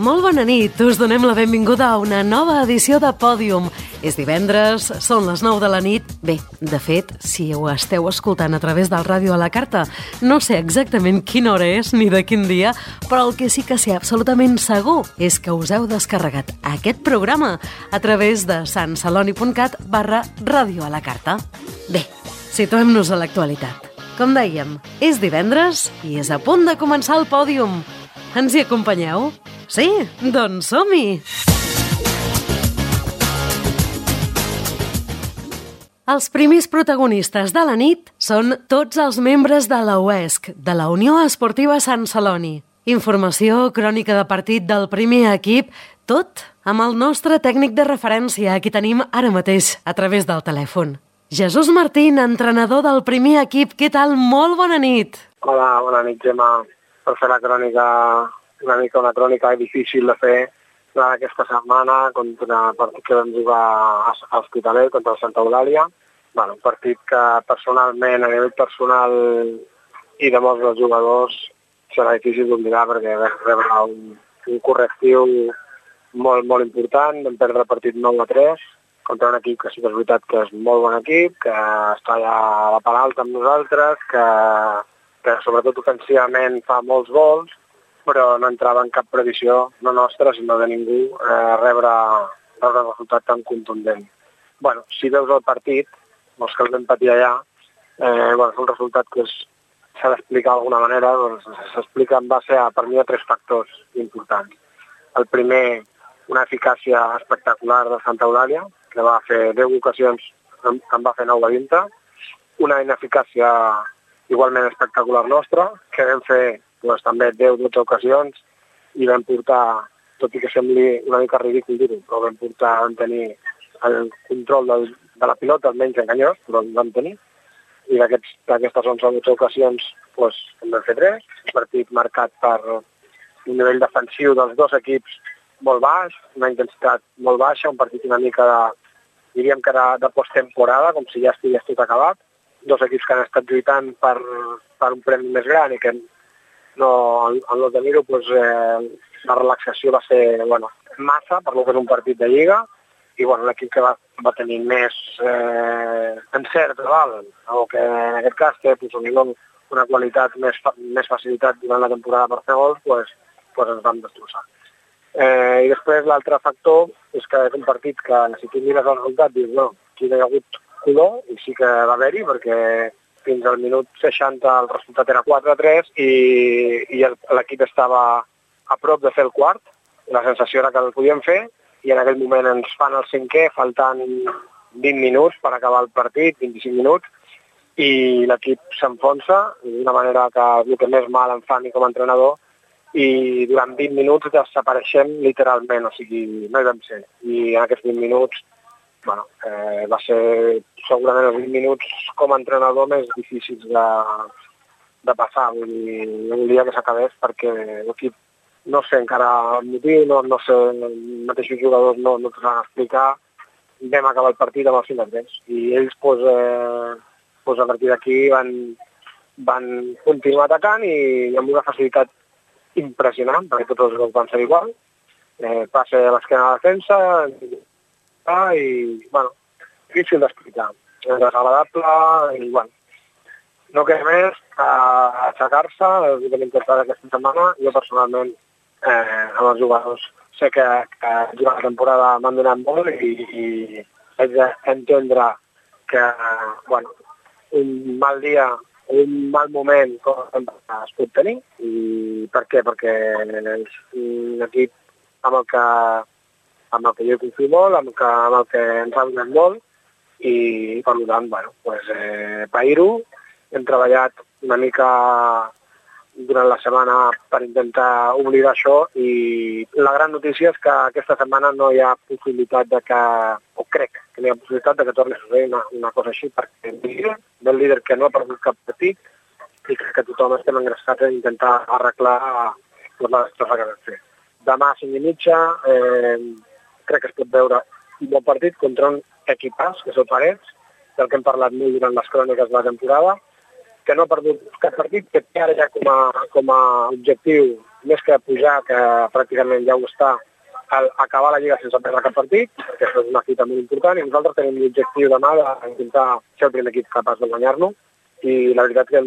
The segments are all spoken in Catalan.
Molt bona nit, us donem la benvinguda a una nova edició de Pòdium. És divendres, són les 9 de la nit. Bé, de fet, si ho esteu escoltant a través del ràdio a la carta, no sé exactament quina hora és ni de quin dia, però el que sí que sé absolutament segur és que us heu descarregat aquest programa a través de santceloni.cat/ràdio a la carta. Bé, situem-nos a l'actualitat. Com dèiem, és divendres i és a punt de començar el Pòdium. Ens hi acompanyeu? Sí? Doncs som-hi! Els primers protagonistes de la nit són tots els membres de la UESC, de la Unió Esportiva Sant Celoni. Informació, crònica de partit del primer equip, tot amb el nostre tècnic de referència, qui tenim ara mateix a través del telèfon. Jesús Martín, entrenador del primer equip, què tal? Molt bona nit! Hola, bona nit, Gemma. Per fer la crònica, una crònica difícil de fer aquesta setmana contra el partit que vam jugar a l'Hospitalet contra el Santa Eulàlia. Un partit que personalment, a nivell personal i de molts dels jugadors, serà difícil d'oblidar perquè vam rebre un correctiu molt, molt important. Vam perdre el partit 9-3 contra un equip que sí que és veritat que és molt bon equip, que està allà a la part alta amb nosaltres, que sobretot ofensivament fa molts gols, però no entrava en cap previsió, no nostra, sinó de ningú, rebre un resultat tan contundent. Si veus el partit, els que el vam patir allà, és un resultat que s'ha d'explicar d'alguna manera, s'explica en base a, per mi, a 3 factors importants. El primer, una eficàcia espectacular de Santa Eulàlia, que va fer 10 ocasions, en va fer 9 a dintre, una ineficàcia igualment espectacular nostra, que vam fer també 10-12 ocasions i vam portar, tot i que sembli una mica ridícul dir-ho, però vam tenir el control de la pilota, almenys enganyós, però el vam tenir. I d'aquestes 11-12 ocasions en vam fer 3, un partit marcat per un nivell defensiu dels dos equips molt baix, una intensitat molt baixa, un partit una mica diríem que era de posttemporada, com si ja estigués tot acabat. 2 equips que han estat lluitant per un premi més gran i que al no tenir-ho, la relaxació va ser massa per lo que és un partit de Lliga i l'equip que va tenir més encert, o que en aquest cas té una qualitat, més facilitat durant la temporada per fer gols, ens vam destrossar. I després l'altre factor és que és un partit que si tu mires el resultat dius, aquí no hi ha hagut color, i sí que va haver-hi, perquè fins al minut 60 el resultat era 4-3 i l'equip estava a prop de fer el quart, i la sensació era que el podíem fer, i en aquell moment ens fan el 5è, faltant 20 minuts per acabar el partit, 25 minuts, i l'equip s'enfonsa d'una manera que el que més mal em fa a mi com a entrenador, i durant 20 minuts desapareixem literalment, o sigui, no hi vam ser. I en aquests 20 minuts va ser segurament els 20 minuts com a entrenador més difícils de passar. Volia que s'acabés perquè l'equip, no sé encara el motiu, no sé, els mateixos jugadors no t'ho van explicar. Vam acabar el partit amb el 5-3 i ells a partir d'aquí van continuar atacant i amb una facilitat impressionant, perquè tots els gols van ser igual. Passe a l'esquena de la defensa i, difícil d'explicar. És desagradable i, no queda més a aixecar-se, el que hem intentat aquesta setmana. Jo personalment, amb els jugadors, sé que durant la temporada m'han donat molt i haig d'entendre que, un mal dia, un mal moment es pot tenir. I per què? Perquè és un equip amb el que jo confio molt, amb el que ens ha donat molt, i per tant, pair-ho. Hem treballat una mica durant la setmana per intentar oblidar això i la gran notícia és que aquesta setmana no hi ha possibilitat crec que no hi ha possibilitat que torni a succeir una cosa així, perquè el líder que no ha perdut cap partit i que tothom estem engressats a intentar arreglar la destrossa que vam fer. Demà a 5:30 crec que es pot veure un bon partit contra un equipàs, que és el Parets, del que hem parlat molt durant les cròniques de la temporada, que no ha perdut cap partit, que té ara ja com a objectiu més que pujar, que pràcticament ja ho està, acabar la Lliga sense perdre cap partit, perquè això és una fita molt important, i nosaltres tenim l'objectiu demà d'intentar ser el primer equip capaç de guanyar-lo, i la veritat que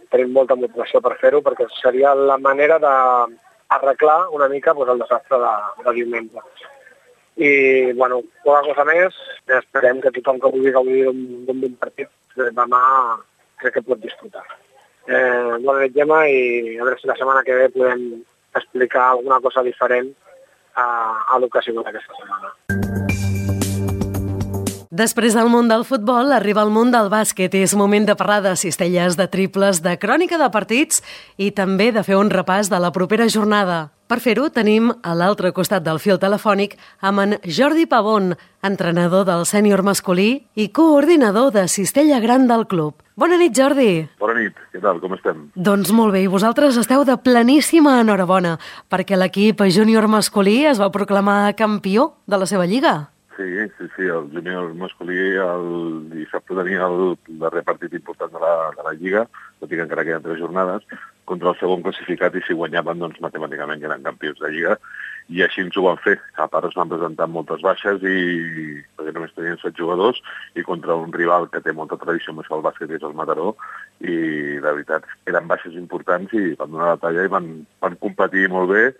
tenim molta motivació per fer-ho, perquè seria la manera d'arreglar una mica el desastre de diumenge. I, bueno, poca cosa més, esperem que tothom que vulgui gaudir d'un bon partit demà crec que pot disfrutar. Bona nit, Gemma, i a veure si la setmana que ve podem explicar alguna cosa diferent a l'ocasió d'aquesta setmana. Després del món del futbol, arriba el món del bàsquet i és moment de parlar de cistelles, de triples, de crònica de partits i també de fer un repàs de la propera jornada. Per fer-ho, tenim a l'altre costat del fil telefònic amb en Jordi Pavón, entrenador del sènior masculí i coordinador de cistella gran del club. Bona nit, Jordi. Bona nit, què tal, com estem? Doncs molt bé, i vosaltres esteu de pleníssima enhorabona, perquè l'equip júnior masculí es va proclamar campió de la seva lliga. Sí, el júnior masculí el dissabte tenia el darrer partit important de la Lliga, tot i que encara queden 3 jornades, contra el segon classificat, i si guanyaven, doncs matemàticament ja eren campions de Lliga, i així ens ho van fer. A part es van presentar moltes baixes, perquè només tenien 7 jugadors, i contra un rival que té molta tradició amb això al bàsquet, que és el Mataró, i la veritat eren baixes importants i van donar la talla i van competir molt bé,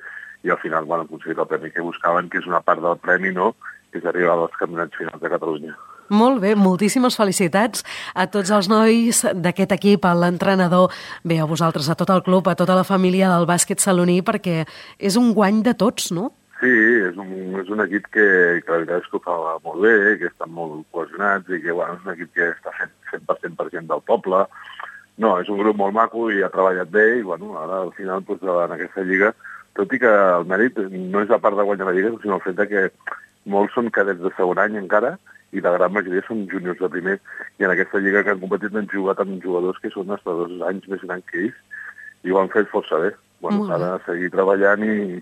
i al final van aconseguir el premi que buscaven, que és una part del premi, no?, que és arribar als campionats finals de Catalunya. Molt bé, moltíssimes felicitats a tots els nois d'aquest equip, a l'entrenador, bé, a vosaltres, a tot el club, a tota la família del bàsquet saloní, perquè és un guany de tots, no? Sí, és un equip que la veritat és que ho fa molt bé, que estan molt cohesionats i que és un equip que està fent 100% del poble. No, és un grup molt maco i ha treballat bé i ara al final en aquesta lliga, tot i que el mèrit no és la part de guanyar la lliga, sinó el fet que molts són cadets de segon any encara i la gran majoria són júniors de primer, i en aquesta lliga que han competit han jugat amb jugadors que són hasta 2 anys més grans que ells i ho han fet força bé. Ara seguir treballant i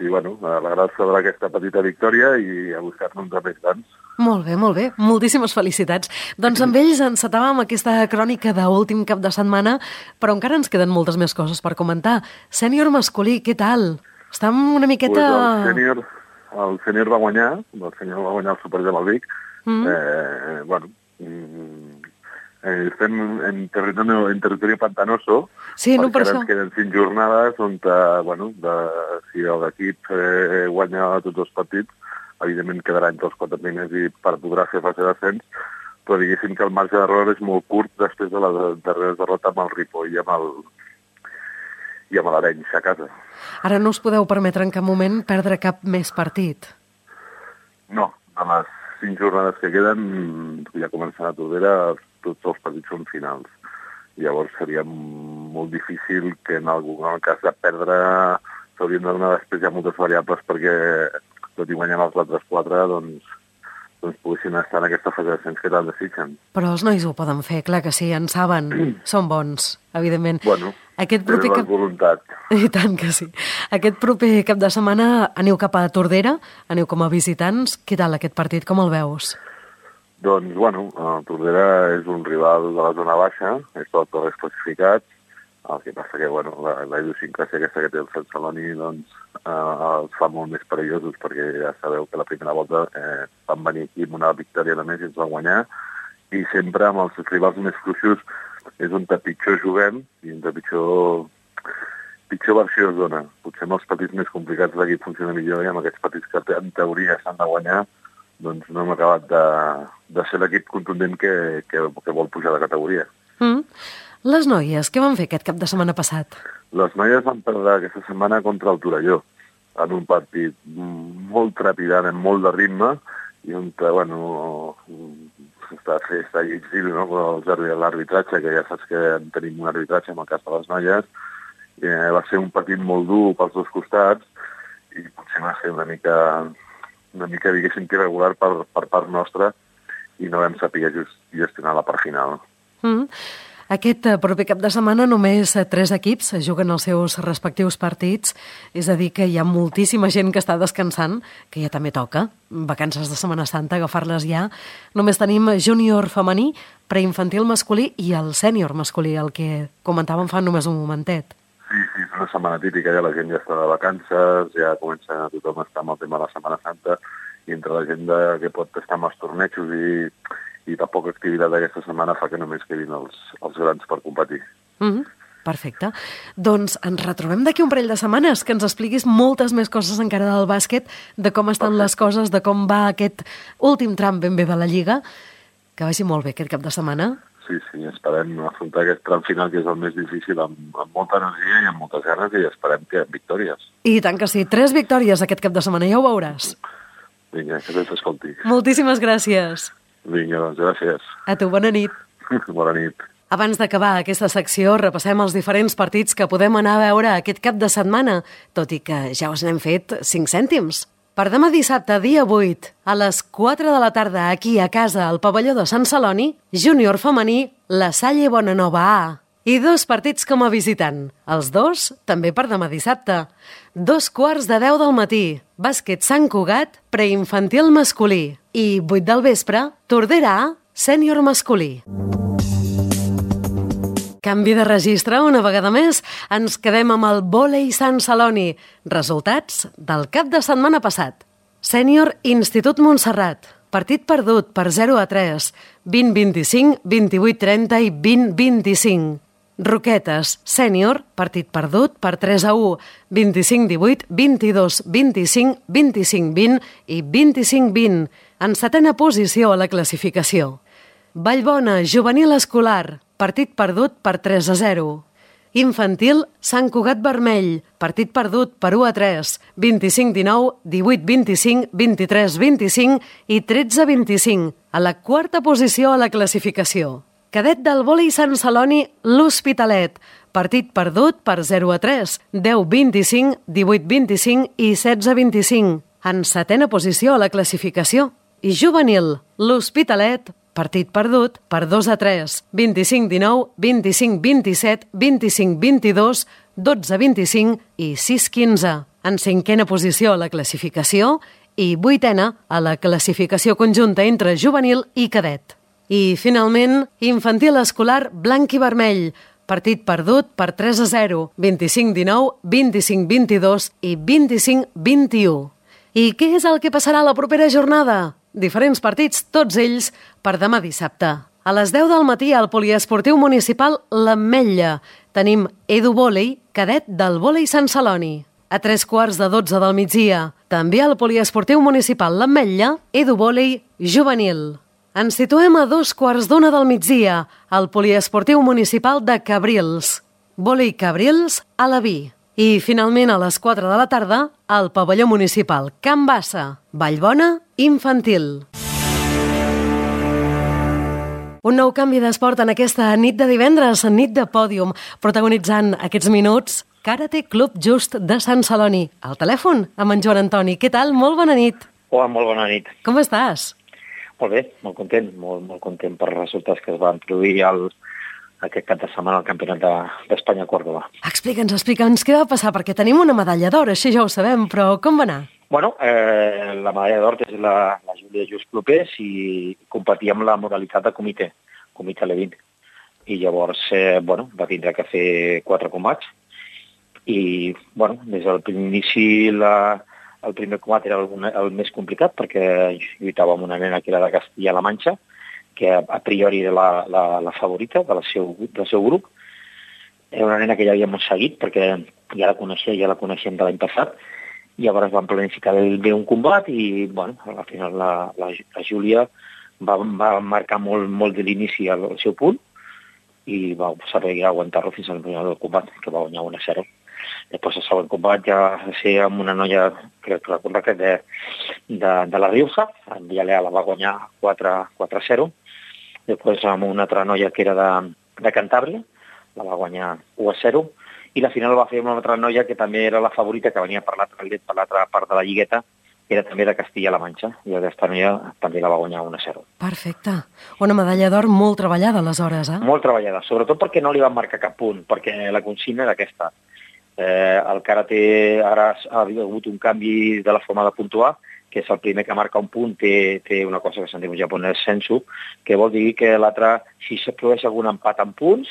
alegrar-se d'aquesta petita victòria i a buscar-ne uns més grans. Molt bé. Moltíssimes felicitats. Doncs amb ells encetàvem aquesta crònica d'últim cap de setmana, però encara ens queden moltes més coses per comentar. Sènior masculí, què tal? Estem una miqueta... El sènior va guanyar, el Supergem al Vic. Estem en territori pantanoso, sí, no, perquè per ara ens queden 5 jornades on, si l'equip guanya tots els partits, evidentment quedarà entre els 4 primers i podrà fer fase d'ascens, però diguéssim que el marge d'error és molt curt després de la darrera derrota amb el Ripoll i amb l'Arenys a casa. Ara no us podeu permetre en cap moment perdre cap més partit? No, a les 5 jornades que queden, ja començant a Tordera, tots els partits són finals. Llavors seria molt difícil que en el cas de perdre s'haurien de donar després ja moltes variables perquè tot i guanyant els altres 4, doncs poguessin estar en aquesta fase d'ascens que tant desitgen. Però els nois ho poden fer, clar que sí, en saben, són bons, evidentment. Tenen la voluntat. I tant que sí. Aquest proper cap de setmana aneu cap a Tordera, aneu com a visitants. Què tal aquest partit, com el veus? Doncs, Tordera és un rival de la zona baixa, és tot els classificats, el que passa que, la idiosincràsia aquesta que té el Sant Celoni, els fa molt més perillosos, perquè ja sabeu que la primera volta van venir aquí amb una victòria només i ens van guanyar, i sempre amb els rivals més fluixos és on pitjor juguem i on pitjor versió es dona. Potser amb els partits més complicats l'equip funciona millor i amb aquests partits que en teoria s'han de guanyar, doncs no hem acabat de ser l'equip contundent que vol pujar de categoria. Les noies, què van fer aquest cap de setmana passat? Les noies van perdre aquesta setmana contra el Torelló, en un partit molt trepidant, amb molt de ritme, i on, està difícil, no?, l'arbitratge, que ja saps que tenim un arbitratge en el cas de les noies. Va ser un partit molt dur pels dos costats, i potser va ser una mica diguéssim, irregular per part nostra, i no vam saber gestionar la part final. Aquest proper cap de setmana només 3 equips juguen els seus respectius partits, és a dir que hi ha moltíssima gent que està descansant, que ja també toca, vacances de Setmana Santa, agafar-les ja. Només tenim júnior femení, preinfantil masculí i el sènior masculí, el que comentàvem fa només un momentet. Sí, és una setmana típica, ja la gent ja està de vacances, ja comença tothom a estar amb el tema de la Setmana Santa, i entre la gent que pot estar amb els tornejos i la poca activitat d'aquesta setmana fa que només quedin els grans per competir. Perfecte. Doncs ens retrobem d'aquí un parell de setmanes, que ens expliquis moltes més coses encara del bàsquet, de com estan les coses, de com va aquest últim tram ben bé de la Lliga. Que vagi molt bé aquest cap de setmana. Sí, esperem afrontar aquest tram final, que és el més difícil, amb molta energia i amb moltes ganes, i esperem que victòries. I tant que sí, 3 victòries aquest cap de setmana, ja ho veuràs. Vinga, que se'ns escolti. Moltíssimes gràcies. Vinga, doncs gràcies. A tu, bona nit. Bona nit. Abans d'acabar aquesta secció, repassem els diferents partits que podem anar a veure aquest cap de setmana, tot i que ja us n'hem fet 5 cèntims. Per demà dissabte, dia 8, a les 4 de la tarda, aquí a casa, al pavelló de Sant Celoni, júnior femení, la Salle Bonanova A. I 2 partits com a visitant. Els 2 també per demà dissabte. 2:15 del matí, bàsquet Sant Cugat, preinfantil masculí. I 8 del vespre, Tordera A, sènior masculí. Canvi de registre una vegada més. Ens quedem amb el vòlei Sant Celoni. Resultats del cap de setmana passat. Sènior Institut Montserrat. Partit perdut per 0-3, 20-25, 28-30 i 20-25. Roquetes, sènior, partit perdut per 3-1, 25-18, 22-25, 25-20 i 25-20. En 7a posició a la classificació. Vallbona, juvenil escolar, partit perdut per 3-0. Infantil, Sant Cugat Vermell, partit perdut per 1-3, 25-19, 18-25, 23-25 i 13-25, a la 4a posició a la classificació. Cadet del vòlei Sant Celoni, l'Hospitalet, partit perdut per 0-3, 10-25, 18-25 i 16-25, en 7a posició a la classificació. I juvenil, l'Hospitalet, partit perdut per 2-3, 25-19, 25-27, 25-22, 12-25 i 6-15. En 5a posició a la classificació i 8a a la classificació conjunta entre juvenil i cadet. I, finalment, infantil escolar blanc i vermell, partit perdut per 3-0, 25-19, 25-22 i 25-21. I què és el que passarà la propera jornada? Diferents partits, tots ells, per demà dissabte. A les 10 del matí al poliesportiu municipal l'Ametlla tenim Edu Vòlei, cadet del vòlei Sant Celoni. A 3:15 del migdia, també al poliesportiu municipal l'Ametlla, Edu Vòlei juvenil. Ens situem a 2:15 del migdia al poliesportiu municipal de Cabrils. Vòlei Cabrils a la Vi. I, finalment, a les 4 de la tarda, al pavelló municipal Can Bassa, Vallbona, infantil. Un nou canvi d'esport en aquesta nit de divendres, nit de pòdium, protagonitzant aquests minuts Karate Club Just de Sant Celoni. Al telèfon, amb en Joan Antoni. Què tal? Molt bona nit. Hola, molt bona nit. Com estàs? Molt bé, molt content, molt content per els resultats que es van produir aquest cap de setmana al Campionat d'Espanya a Còrdova. Explica'ns què va passar, perquè tenim una medalla d'or, això ja ho sabem, però com va anar? Bueno, la medalla d'or és la Júlia Just Clopés i competia amb la modalitat de comitè Levin. I llavors, va tindre que fer 4 combats i, des del primer inici el primer combat era el més complicat perquè lluitava amb una nena que era de Castilla-La Manxa, que a priori era la favorita del seu grup. Era una nena que ja havíem seguit perquè ja la coneixem de l'any passat. Llavors vam planificar bé un combat i, al final la Júlia va marcar molt de l'inici al seu punt i va saber aguantar-lo fins al final del combat, que va guanyar 1-0. Després el següent combat ja va ser amb una noia, crec que recorda que de la Rioja, en Villalea la va guanyar 4-0. Després amb una altra noia que era de Cantàbria, la va guanyar 1-0. I la final la va fer amb una altra noia que també era la favorita, que venia per l'altra part de la lligueta, que era també de Castilla-La Manxa. I aquesta noia també la va guanyar 1-0. Perfecte. Una medalla d'or molt treballada, aleshores, eh? Molt treballada, sobretot perquè no li van marcar cap punt, perquè la consigna era aquesta. El karate ara ha hagut un canvi de la forma de puntuar, que és el primer que marca un punt, té una cosa que se'n diu en japonès sensu, que vol dir que l'altre, si es produeix algun empat en punts,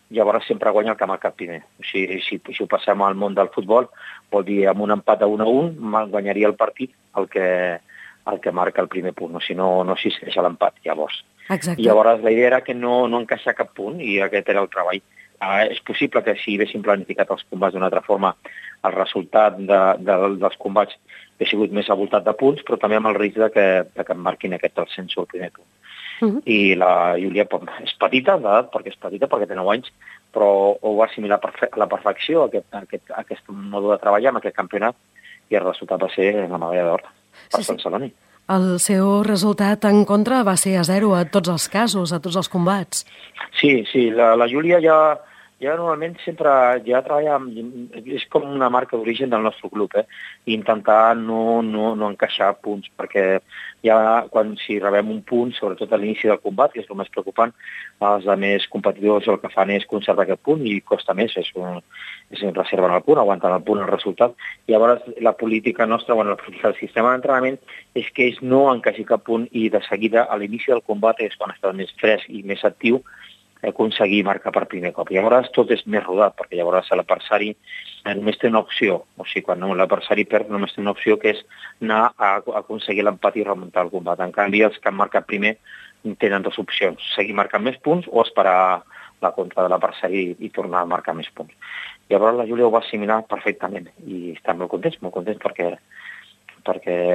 llavors sempre guanya el que ha marcat primer. O sigui, si ho passem al món del futbol, vol dir, amb un empat a 1-1, guanyaria el partit el que marca el primer punt, o si no existeix l'empat, llavors. Exacte. I llavors la idea era que no encaixar cap punt, i aquest era el treball. És possible que si haguéssim planificat els combats d'una altra forma, el resultat dels combats hauria sigut més avoltat de punts, però també amb el risc de que em marquin aquest ascenso al primer punt. I la Júlia és petita d'edat, perquè té 9 anys, però ho va assimilar a la perfecció, aquest mode de treballar amb aquest campionat, i el resultat va ser la medalla d'or per Sant Celoni. El seu resultat en contra va ser a 0 a tots els casos, a tots els combats. Sí, la Júlia ja normalment sempre treballa, és com una marca d'origen del nostre club, intentar no encaixar punts, perquè si rebem un punt, sobretot a l'inici del combat, que és el més preocupant, els altres competidors el que fan és conservar aquest punt i costa més, reserven el punt, aguanten el punt, el resultat. Llavors la política nostra, la política del sistema d'entrenament és que ells no encaixin cap punt i de seguida a l'inici del combat és quan està més fresc i més actiu aconseguir marcar per primer cop. Llavors tot és més rodat, perquè llavors l'adversari només té una opció, o sigui, quan l'adversari perd només té una opció, que és anar a aconseguir l'empat i remuntar el combat. En canvi, els que han marcat primer tenen dues opcions, seguir marcant més punts o esperar la contra de l'adversari i tornar a marcar més punts. Llavors la Júlia ho va assimilar perfectament i està molt contents perquè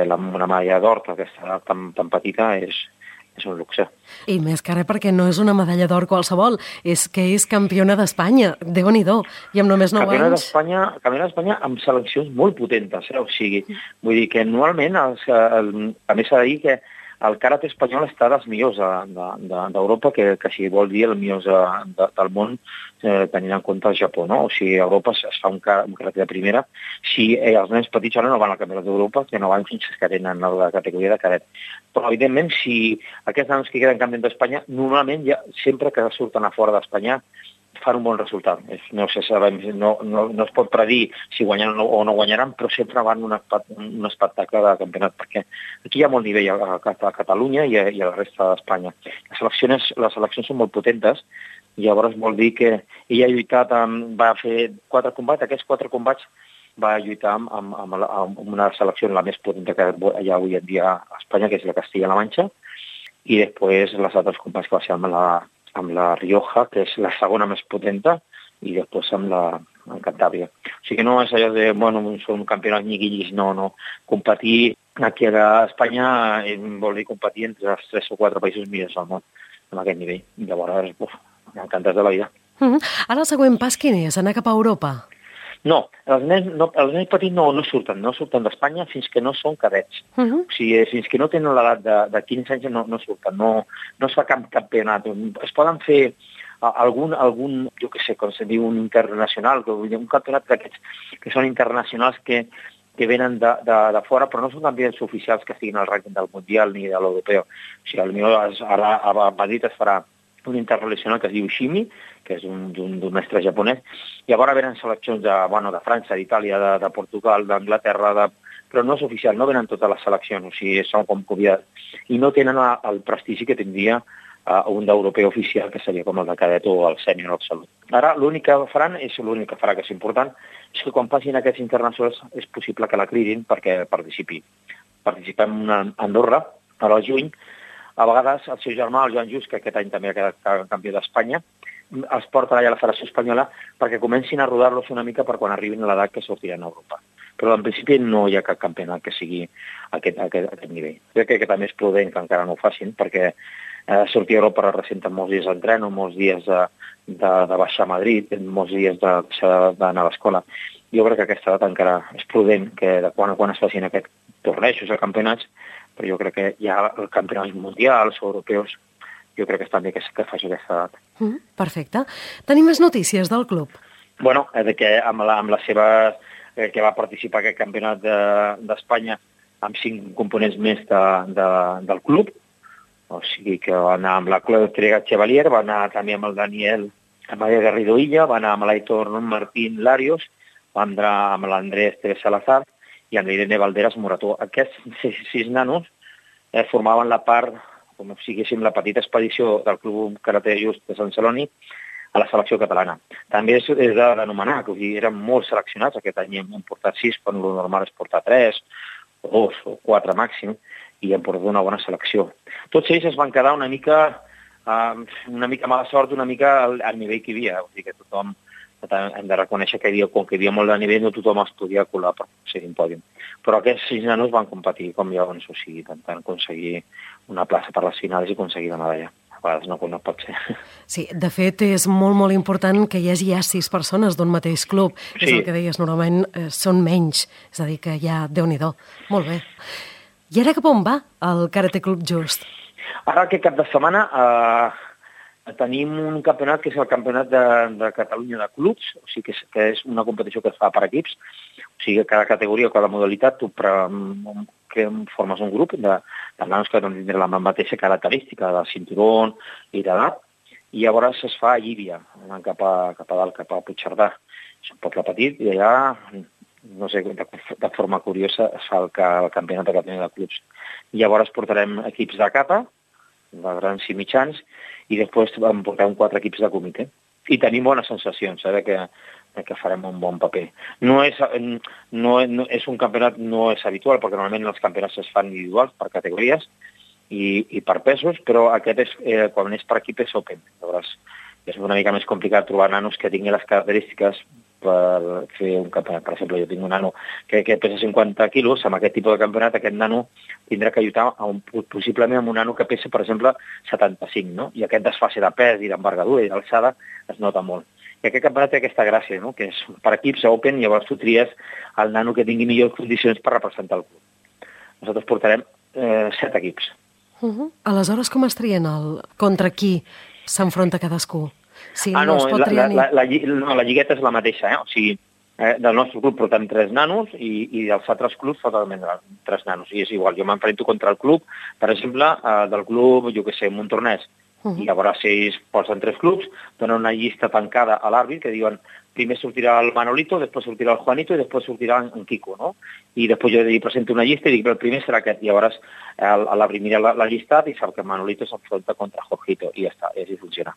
una medalla d'or, aquesta tan petita, és un luxe. I més que res perquè no és una medalla d'or qualsevol, és que és campiona d'Espanya, Déu-n'hi-do, i amb només 9 anys... Campiona d'Espanya amb seleccions molt potentes, o sigui, vull dir que anualment, a més s'ha de dir que el karate espanyol està dels millors d'Europa, que si vol dir els millors del món, tenint en compte el Japó, no? O sigui, a Europa es fa un karate de primera. Si els nens petits ara no van al campionat d'Europa, que no van fins que tenen la categoria de cadet. Però, evidentment, si aquests nens que queden campions d'Espanya, normalment sempre que surten a fora d'Espanya, fan un bon resultat. No es pot predir si guanyaran o no guanyaran, però sempre van un espectacle de campionat, perquè aquí hi ha molt nivell a Catalunya i a la resta d'Espanya. Les seleccions són molt potentes, i llavors vol dir que ella ha lluitat, va fer 4 combats, aquests 4 combats va lluitar amb una selecció la més potenta que hi ha avui en dia a Espanya, que és la Castilla-La Manxa, i després les altres combats que va ser amb la Rioja, que és la segona més potenta, i després amb Cantàbria. O sigui que no és allò de, són campionats nyiguillis, no. Competir aquí a Espanya vol dir competir entre els 3 o 4 països millors del món, en aquest nivell. Llavors, encantats de la vida. Ara el següent pas quin és? Anar cap a Europa? No, els nens petits no surten d'Espanya fins que no són cadets. O sigui, fins que no tenen l'edat de 15 anys no surten, no es fa cap campionat. Es poden fer algun, jo què sé, com se diu, un internacional, un campionat d'aquests que són internacionals que venen de fora, però no són campionats oficials que estiguin al rànquing del Mundial ni de l'Europeu. O sigui, ara a Madrid es farà un internacional que es diu Shimi, que és d'un mestre japonès. Llavors venen seleccions de França, d'Itàlia, de Portugal, d'Anglaterra, però no és oficial, no venen totes les seleccions, o sigui, són com convidats. I no tenen el prestigi que tindria un d'europeu oficial, que seria com el de cadet o el sènior absolut. Ara, l'únic que faran, l'únic que farà que és important, és que quan passin aquests internacionals és possible que la cridin perquè participi. Participem a Andorra, ara al juny. A vegades el seu germà, el Joan Just, que aquest any també ha quedat campió d'Espanya, els porta allà a la Federació Espanyola perquè comencin a rodar-los una mica per quan arribin a l'edat que sortiran a Europa. Però en principi no hi ha cap campionat que sigui a aquest nivell. Crec que també és prudent que encara no ho facin, perquè sortir a Europa representa molts dies d'entreno, molts dies de baixar a Madrid, molts dies d'anar a l'escola. Jo crec que aquesta edat encara és prudent que de quan es facin aquests tornejos a campionats, però jo crec que hi ha campionats mundials o europeus, jo crec que està bé que faci aquesta edat. Perfecte. Tenim més notícies del club? Bueno, que amb la seva... que va participar en aquest campionat d'Espanya amb 5 components més del club, o sigui que va anar amb la Clàudia Chevalier, va anar també amb el Daniel María Garrido Illa, va anar amb l'Aitor Martín Larios, va anar amb l'Andrés Teves Salazar i amb l'Irene Valderas Morató. Aquests 6 nanos formaven la part, com si diguéssim, la petita expedició del Club Karate Just de Sant Celoni, a la selecció catalana. També és d'anomenar, que eren molt seleccionats, aquest any hem portat 6, quan el normal és portar 3, o 2 o 4 màxim, i hem portat una bona selecció. Tots ells es van quedar una mica mala sort, una mica al nivell que hi havia. O sigui que tothom hem de reconèixer que com que hi havia molt de nivell, no tothom es podia colar per ser un pòdium. Però aquests 6 nanos van competir com llavors, o sigui, intentant aconseguir una plaça per les finals i aconseguir la medalla. A vegades no pot ser. Sí, de fet, és molt, molt important que hi hagi ja 6 persones d'un mateix club. Sí. És el que deies, normalment són menys, és a dir, que ja, Déu-n'hi-do. Molt bé. I ara cap on va el Karate Club Just? Ara aquest cap de setmana tenim un campionat que és el Campionat de Catalunya de Clubs, o sigui que és una competició que es fa per equips, o sigui que cada categoria o cada modalitat tu formes un grup de nanos que tindran la mateixa característica de cinturó i d'edat, i llavors es fa a Llívia, anant cap a dalt, cap a Puigcerdà. És un poble petit i allà, no sé, de forma curiosa, es fa el Campionat de Catalunya de Clubs. Llavors portarem equips de capa, de grans i mitjans, i després en portem 4 equips de comitè. I tenim bones sensacions, que farem un bon paper. No és un campionat, no és habitual, perquè normalment els campionats es fan individuals per categories i per pesos, però aquest quan és per equip és open. Llavors és una mica més complicat trobar nanos que tinguin les característiques per fer un campionat. Per exemple, jo tinc un nano que pesa 50 quilos, amb aquest tipus de campionat aquest nano tindrà que lluitar possiblement amb un nano que pesa, per exemple, 75, no? I aquest desfase de pes i d'envergadura i d'alçada es nota molt. I aquest campionat té aquesta gràcia, no? Que és per equips open, i llavors tu tries el nano que tingui millors condicions per representar el club. Nosaltres portarem 7 equips. Aleshores, com es trien contra qui s'enfronta cadascú? Sí, la lligueta és la mateixa, O sigui, del nostre club portem 3 nanos i dels altres clubs totalment 3 nanos. I és igual, jo m'enfrento contra el club, per exemple, del club, jo què sé, Montornès. I llavors ells posen 3 clubs, donen una llista tancada a l'àrbit que diuen primer sortirà el Manolito, després sortirà el Juanito i després sortirà en Quico, no? I després jo li presento una llista i dic que el primer serà aquest. I llavors l'àrbit mira la llista i sap que Manolito s'enfronta contra Jorgito i ja està, i així funciona.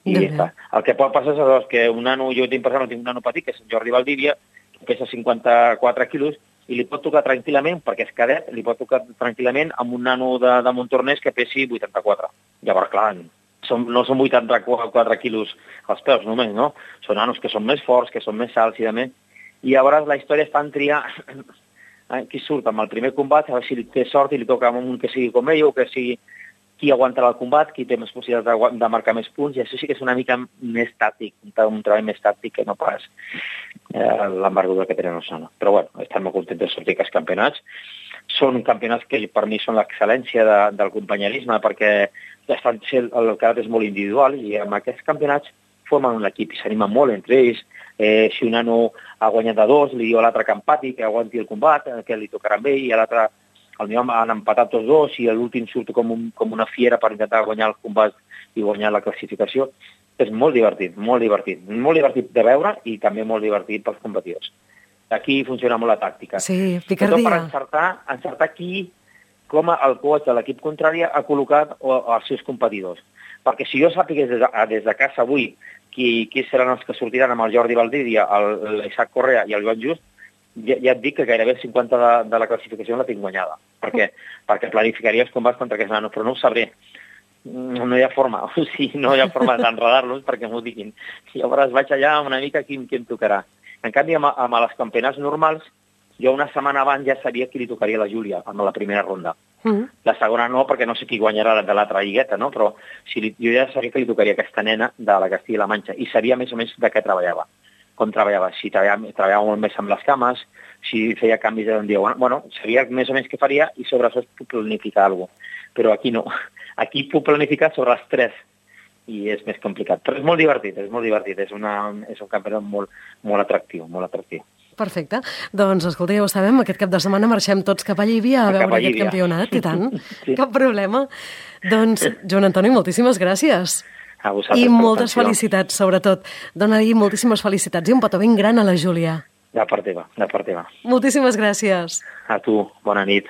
I ja està. El que pot passar és que un nano, jo tinc un nano petit, que és Jordi Valdívia, que pesa 54 quilos, i li pot tocar tranquil·lament, perquè és cadet, li pot tocar tranquil·lament amb un nano de Montornès que pesi 84. Llavors, clar, no són 84 quilos als peus només, no? Són nanos que són més forts, que són més alts i de més. I llavors la història està en triar qui surt amb el primer combat, a veure si té sort i li toca amb un que sigui com ell, o que sigui qui aguantarà el combat, qui té més possibilitats de marcar més punts, i això sí que és una mica més tàctic, un treball més tàctic que no pas l'envergadura que tenen els nanos. Però bueno, estem molt contents de sortir aquests campionats. Són campionats que per mi són l'excel·lència del companyerisme, perquè el carat és molt individual, i amb aquests campionats formen un equip i s'animen molt entre ells. Si un nano ha guanyat de 2, li diu a l'altre que empati, que aguanti el combat, que li tocarà amb ell, i a l'altre el meu han empatat tots 2 i l'últim surt com una fiera per intentar guanyar el combat i guanyar la classificació. És molt divertit, molt divertit. Molt divertit de veure i també molt divertit pels competidors. Aquí funciona molt la tàctica. Sí, picardia. Per encertar com el coach de l'equip contrari ha col·locat els seus competidors. Perquè si jo sàpigués des de casa avui qui seran els que sortiran amb el Jordi Valdívia, l'Isaac Correa i el Joan Just, ja et dic que gairebé el 50 de la classificació la tinc guanyada, perquè planificaria els combats contra aquests nanos, però no ho sabré. No hi ha forma, o sigui, no hi ha forma d'enredar-los perquè m'ho diguin. Llavors vaig allà una mica qui em tocarà. En canvi, amb els campionats normals, jo una setmana abans ja sabia qui li tocaria a la Júlia, amb la primera ronda. La segona no, perquè no sé qui guanyarà de l'altra lligueta, no? Però jo ja sabia que li tocaria aquesta nena de la Castilla-La Manxa i sabia més o menys de què treballava. Com treballava, si treballava molt més amb les cames, si feia canvis d'un dia. Bueno, sabia més o menys què faria i sobre això puc planificar alguna cosa. Però aquí no. Aquí puc planificar sobre els 3 i és més complicat. Però és molt divertit, és molt divertit. És un campionat molt atractiu, molt atractiu. Perfecte. Doncs, escolta, ja ho sabem, aquest cap de setmana marxem tots cap a Llívia a veure aquest campionat, i tant. Sí. Cap problema. Doncs, Joan Antoni, moltíssimes gràcies. I moltes felicitats, sobretot. Dóna-li moltíssimes felicitats i un petó ben gran a la Júlia. De part teva, de part teva. Moltíssimes gràcies. A tu, bona nit.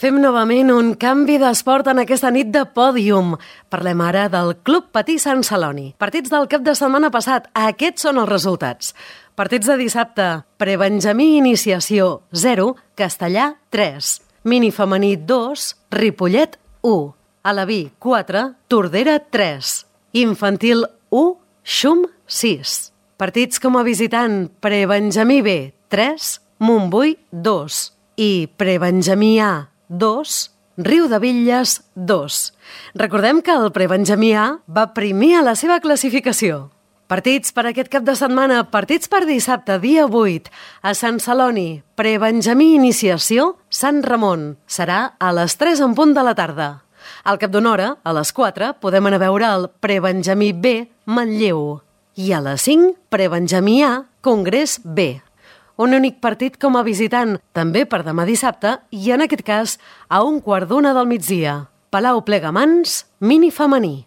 Fem novament un canvi d'esport en aquesta nit de pòdium. Parlem ara del Club Patí Sant Celoni. Partits del cap de setmana passat. Aquests són els resultats. Partits de dissabte. Prebenjamí Iniciació 0, Castellà 3. Mini femení 2, Ripollet 1. Alaví 4, Tordera 3. Infantil 1, Xum 6. Partits com a visitant. Prebenjamí B 3, Montbui 2. I Prebenjamí A 2, Riudebitlles 2. Recordem que el Prebenjamí A va primer a la seva classificació. Partits per aquest cap de setmana, partits per dissabte, dia 8, a Sant Celoni, Prebenjamí Iniciació, Sant Ramon. Serà a les 3 en punt de la tarda. Al cap d'una hora, a les 4, podem anar a veure el Prebenjamí B, Manlleu. I a les 5, Prebenjamí A, Congrés B. Un únic partit com a visitant, també per demà dissabte, i en aquest cas a 1:15 del migdia. Palau Plegamans, mini femení.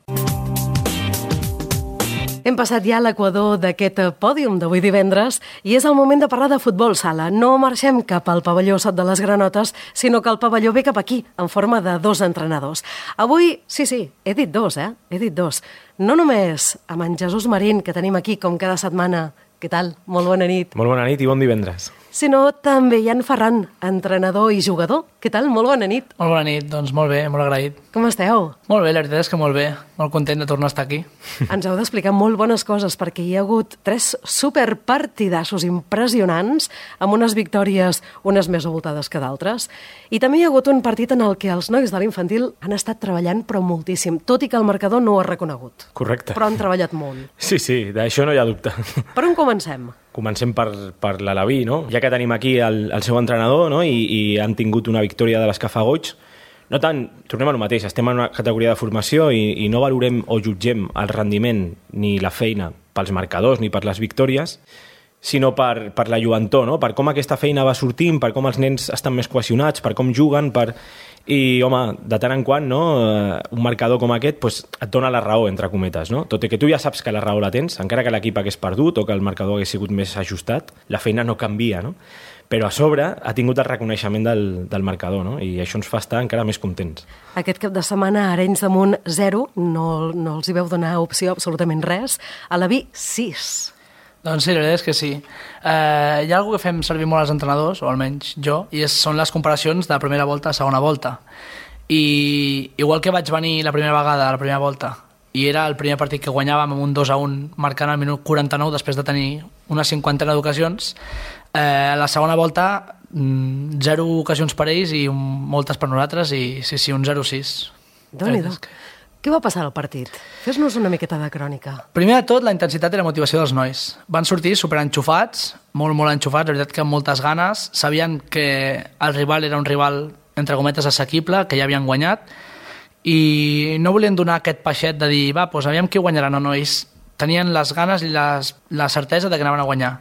Hem passat ja a l'equador d'aquest pòdium d'avui divendres i és el moment de parlar de futbol sala. No marxem cap al pavelló Sot de les Granotes, sinó que el pavelló ve cap aquí, en forma de 2 entrenadors. Avui, sí, he dit 2, He dit 2. No només amb en Jesús Marín, que tenim aquí com cada setmana. Què tal? Molt bona nit. Molt bona nit i bon divendres. Sinó també Jan Ferran, entrenador i jugador. Què tal? Molt bona nit. Molt bona nit, doncs molt bé, molt agraït. Com esteu? Molt bé, la veritat és que molt bé. Molt content de tornar a estar aquí. Ens heu d'explicar molt bones coses perquè hi ha hagut 3 superpartidassos impressionants amb unes victòries, unes més abultades que d'altres. I també hi ha hagut un partit en el que els nois de l'infantil han estat treballant però moltíssim, tot i que el marcador no ho ha reconegut. Correcte. Però han treballat molt. Sí, d'això no hi ha dubte. Per on comencem? Comencem per l'Alaví, no? Ja que tenim aquí el seu entrenador, no? I han tingut una victòria de les que fa goig. No tant, tornem al mateix, estem en una categoria de formació i no valorem o jutgem el rendiment ni la feina pels marcadors ni per les victòries, sinó per la lluentor, no? Per com aquesta feina va sortint, per com els nens estan més cohesionats, per com juguen, I, home, de tant en quant, no? Un marcador com aquest pues, et dona la raó, entre cometes, no? Tot i que tu ja saps que la raó la tens, encara que l'equip hagués perdut o que el marcador hagués sigut més ajustat, la feina no canvia, no? Però a sobre ha tingut el reconeixement del marcador, no? I això ens fa estar encara més contents. Aquest cap de setmana, Arenys de Munt 0, no els hi veu donar opció absolutament res. Alaví 6. Doncs sí, la veritat és que sí. Hi ha alguna cosa que fem servir molt els entrenadors, o almenys jo, i són les comparacions de primera volta a segona volta. I igual que vaig venir la primera vegada a la primera volta, i era el primer partit que guanyàvem amb un 2-1 marcant al minut 49 després de tenir una 50 d'ocasions, la segona volta 0 ocasions per ells i moltes per nosaltres i sí, un 0-6. Déu-n'hi-do. Què va passar al partit? Fes-nos una miqueta de crònica. Primer de tot, la intensitat i la motivació dels nois. Van sortir superenxufats, molt enxufats, la veritat que amb moltes ganes. Sabien que el rival era un rival, entre cometes, assequible, que ja havien guanyat, i no volien donar aquest peixet de dir, doncs aviam qui guanyarà. No, ells tenien les ganes i la certesa de que anaven a guanyar.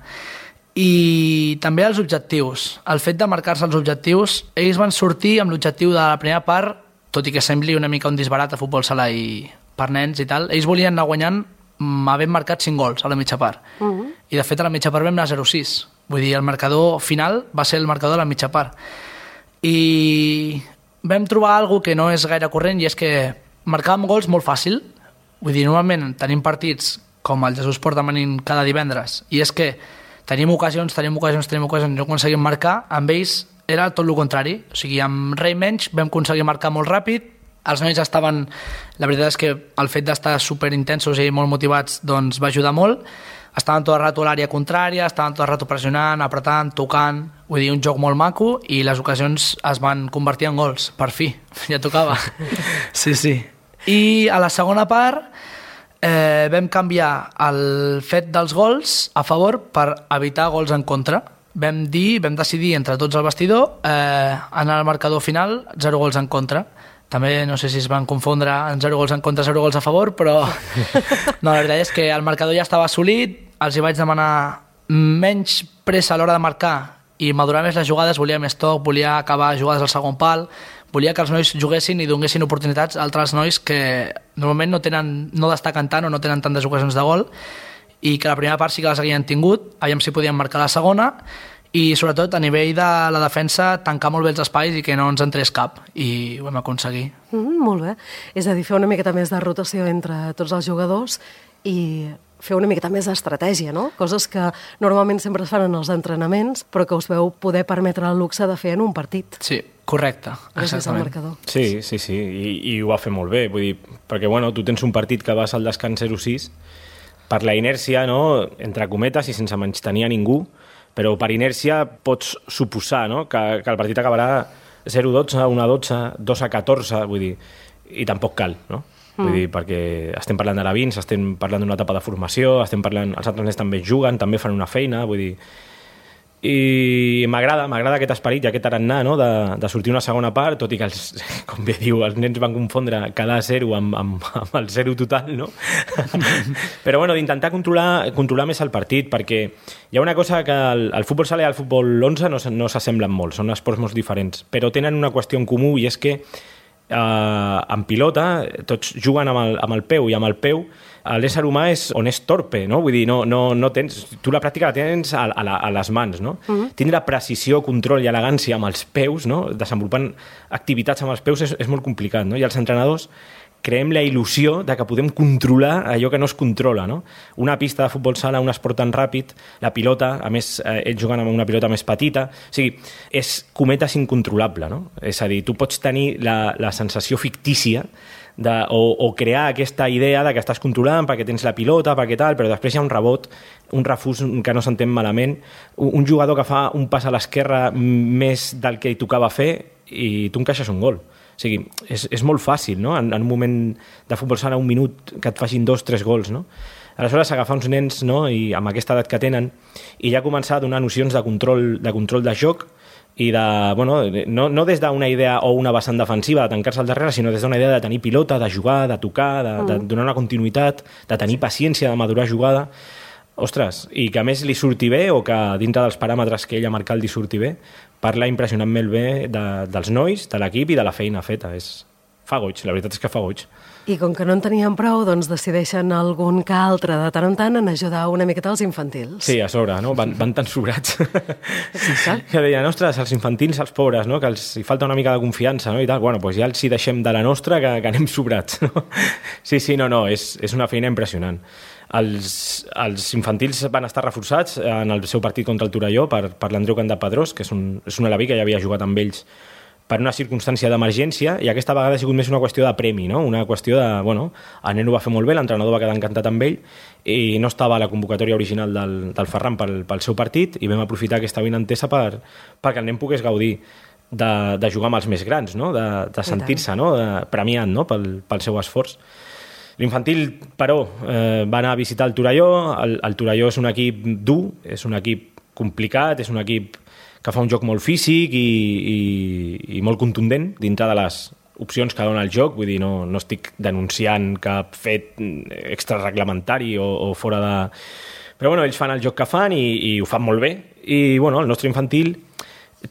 I també els objectius. El fet de marcar-se els objectius, ells van sortir amb l'objectiu de la primera part, tot i que sembli una mica un disbarat a futbol sala i per nens i tal, ells volien anar guanyant havent marcat 5 gols a la mitja part. I de fet a la mitja part vam anar 0-6. Vull dir, el marcador final va ser el marcador de la mitja part. I vam trobar alguna que no és gaire corrent i és que marcàvem gols molt fàcil. Vull dir, normalment tenim partits com el Jesús porta venint cada divendres i és que tenim ocasions, no aconseguim marcar, amb ells era tot el contrari, o sigui, amb rei menys vam aconseguir marcar molt ràpid, els nois estaven, la veritat és que el fet d'estar superintensos i molt motivats doncs va ajudar molt, estaven tot el rato a l'àrea contrària, estaven tot el rato pressionant, apretant, tocant, vull dir, un joc molt maco i les ocasions es van convertir en gols, per fi, ja tocava. Sí. I a la segona part vam canviar el fet dels gols a favor per evitar gols en contra. Vam decidir entre tots al vestidor anar al marcador final 0 gols en contra. També no sé si es van confondre en 0 gols en contra, 0 gols a favor, però no, la veritat és que el marcador ja estava assolit, els hi vaig demanar menys pressa a l'hora de marcar i madurar més les jugades, volia més toc, volia acabar jugades al segon pal, volia que els nois juguessin i donessin oportunitats a altres nois que normalment no destaquen tant o no tenen tantes ocasions de gol i que la primera part sí que les havien tingut, aviam si podien marcar la segona i sobretot a nivell de la defensa tancar molt bé els espais i que no ens entrés cap, i ho vam aconseguir. Molt bé. És a dir, fer una miqueta més de rotació entre tots els jugadors i fer una miqueta més d'estratègia, no? Coses que normalment sempre es fan en els entrenaments, però que us veu poder permetre el luxe de fer en un partit. Sí, correcte, Gràcies al exactament. marcador. Sí, i ho va fer molt bé, vull dir, perquè bueno, tu tens un partit que vas al descans 0-6 per la inèrcia, no? Entre cometes i sense menystenir a ningú, però per inèrcia pots suposar, no? que el partit acabarà 0-12, 1-12, 2-14, vull dir, i tampoc cal, no? Vull dir, perquè estem parlant d'alevins, estem parlant d'una etapa de formació, estem parlant, els altres nens també juguen, també fan una feina, vull dir... I m'agrada aquest esperit i aquest tarannà, no? de sortir una segona part, tot i que, com bé diu, els nens van confondre cada 0 amb el 0 total, no? Però bueno, d'intentar controlar més el partit, perquè hi ha una cosa que el futbol sala i el futbol 11 no s'assemblen molt, són esports molt diferents, però tenen una qüestió en comú, i és que en pilota tots juguen amb el peu, i amb el peu l'ésser humà és on és torpe, no? Vull dir, no tens... Tu la pràctica la tens a les mans, no? Tindre precisió, control i elegància amb els peus, no? Desenvolupant activitats amb els peus és molt complicat, no? I els entrenadors creem la il·lusió de que podem controlar allò que no es controla, no? Una pista de futbol sala, un esport tan ràpid, la pilota, a més, ells juguen amb una pilota més petita, o sigui, és cometes incontrolable, no? És a dir, tu pots tenir la sensació fictícia o crear aquesta idea de que estàs controlant perquè tens la pilota, perquè tal, però després hi ha un rebot, un refús que no s'entén malament, un jugador que fa un pas a l'esquerra més del que hi tocava fer i tu encaixes un gol. O sigui, és molt fàcil, no? En un moment de futbol sala, un minut, que et facin 2-3 gols, no? Aleshores, agafar uns nens, no? I amb aquesta edat que tenen, i ja començar a donar nocions de control de joc, i no des d'una idea o una vessant defensiva de tancar-se al darrere, sinó des d'una idea de tenir pilota, de jugar, de tocar, de donar una continuïtat, de tenir paciència, de madurar jugada. Ostres, i que a més li surti bé, o que dintre dels paràmetres que ell ha marcat li surti bé, parla impressionantment bé dels nois, de l'equip i de la feina feta. Fa goig, la veritat és que fa goig. I com que no en tenien prou, doncs decideixen algun que altre de tant en tant en ajudar una miqueta als infantils. Sí, a sobre, no? Van tan sobrats. Sí, que deien, ostres, els infantils, els pobres, no? Que els hi falta una mica de confiança, no? I tal. Bueno, doncs ja els hi deixem de la nostra que anem sobrats, no? Sí, no, és una feina impressionant. Els infantils van estar reforçats en el seu partit contra el Torelló per l'Andreu Candapedrós, que és un alaví que ja havia jugat amb ells per una circumstància d'emergència, i aquesta vegada ha sigut més una qüestió de premi, no? Una qüestió de, el nen ho va fer molt bé, l'entrenador va quedar encantat amb ell, i no estava a la convocatòria original del Ferran pel seu partit, i vam aprofitar aquesta vinentesa perquè el nen pogués gaudir de jugar amb els més grans, no? De sentir-se, no? Premiat, no? Pel seu esforç. L'infantil, però, va anar a visitar el Torelló. El Torelló és un equip dur, és un equip complicat, és un equip que fa un joc molt físic i molt contundent dintre de les opcions que dona el joc. Vull dir, no estic denunciant cap fet extrareglamentari o fora de... Però ells fan el joc que fan i ho fan molt bé. I el nostre infantil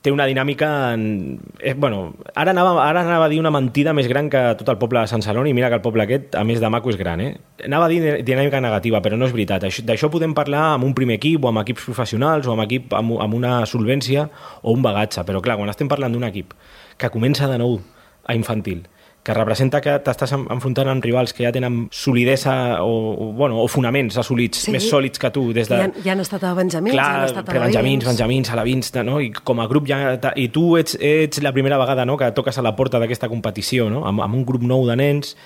té una dinàmica... Ara anava a dir una mentida més gran que tot el poble de Sant Celoni, i mira que el poble aquest, a més de maco, és gran, eh? Anava a dir dinàmica negativa, però no és veritat. D'això podem parlar amb un primer equip, o amb equips professionals, o amb una solvència o un bagatge, però clar, quan estem parlant d'un equip que comença de nou a infantil, que representa que t'estàs enfrontant amb rivals que ja tenen solidesa o fonaments assolits, més sòlids que tu. Ja han estat a benjamins, clar, ja han estat a benjamins, alevins, no? I com a grup i tu ets la primera vegada, no? Que toques a la porta d'aquesta competició, no? Amb un grup nou de nens,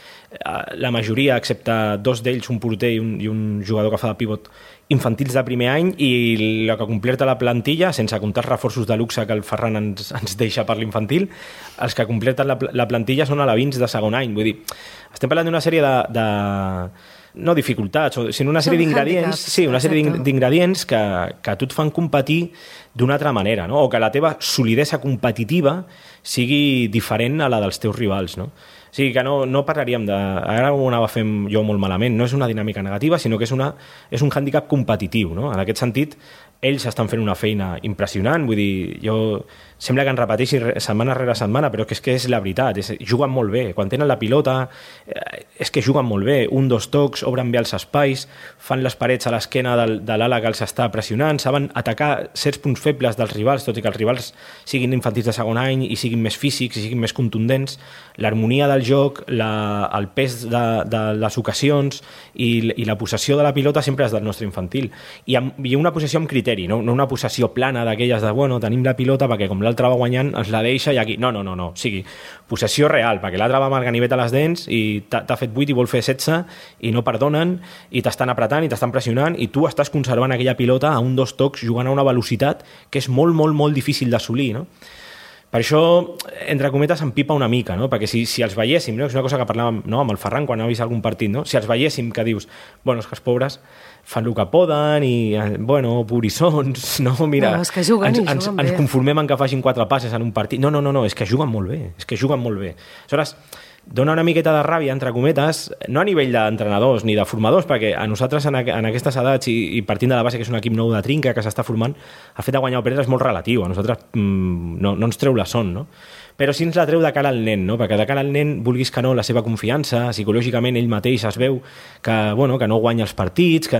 la majoria, excepte 2 d'ells, un porter i un jugador que fa de pivot, infantils de primer any, i la que completa la plantilla, sense comptar els reforços de luxe que el Ferran ens deixa per l'infantil, els que completen la plantilla són alevins de segon any. Vull dir, estem parlant d'una sèrie de no dificultats, sinó una sèrie d'ingredients, una sèrie d'ingredients que a tu et fan competir d'una altra manera, no? O que la teva solidesa competitiva sigui diferent a la dels teus rivals, no? sigui que no parlaríem de... Ara ho anava fent jo molt malament. No és una dinàmica negativa, sinó que és un hàndicap competitiu, no? En aquest sentit, ells estan fent una feina impressionant, vull dir, sembla que en repeteixi setmana rere setmana, però és que és la veritat, juguen molt bé, quan tenen la pilota és que juguen molt bé, 1, 2 tocs, obren bé els espais, fan les parets a l'esquena de l'ala que els està pressionant, saben atacar certs punts febles dels rivals, tot i que els rivals siguin infantils de segon any i siguin més físics i siguin més contundents, l'harmonia del joc, el pes de les ocasions i la possessió de la pilota sempre és del nostre infantil, i una possessió amb criteri, no una possessió plana d'aquelles de, bueno, tenim la pilota perquè com l'altre va guanyant ens la deixa i aquí, no, o sigui, possessió real, perquè l'altre va amb el ganivet a les dents i t'ha fet 8 i vol fer 16 i no perdonen i t'estan apretant i t'estan pressionant i tu estàs conservant aquella pilota a 1, 2 tocs jugant a una velocitat que és molt, molt, molt difícil d'assolir, no? Per això, entre cometes, em pipa una mica, no? Perquè si els veiéssim, no? És una cosa que parlàvem, no? Amb el Ferran quan ha vist algun partit, no? Si els veiéssim que dius, bueno, és que els pobres fan el que poden i, bueno, pobrissons, no? Mira, no, és que juguen ens conformem en que facin 4 passes en un partit. No, és que juguen molt bé, Aleshores, dona una miqueta de ràbia, entre cometes, no a nivell d'entrenadors ni de formadors, perquè a nosaltres en aquestes edats i partint de la base que és un equip nou de trinca que s'està formant, el fet de guanyar o perdre és molt relatiu, a nosaltres no ens treu la son, no? Però sí ens la treu de cara al nen, no? Perquè de cara al nen, vulguis que no, la seva confiança, psicològicament ell mateix es veu que no guanya els partits,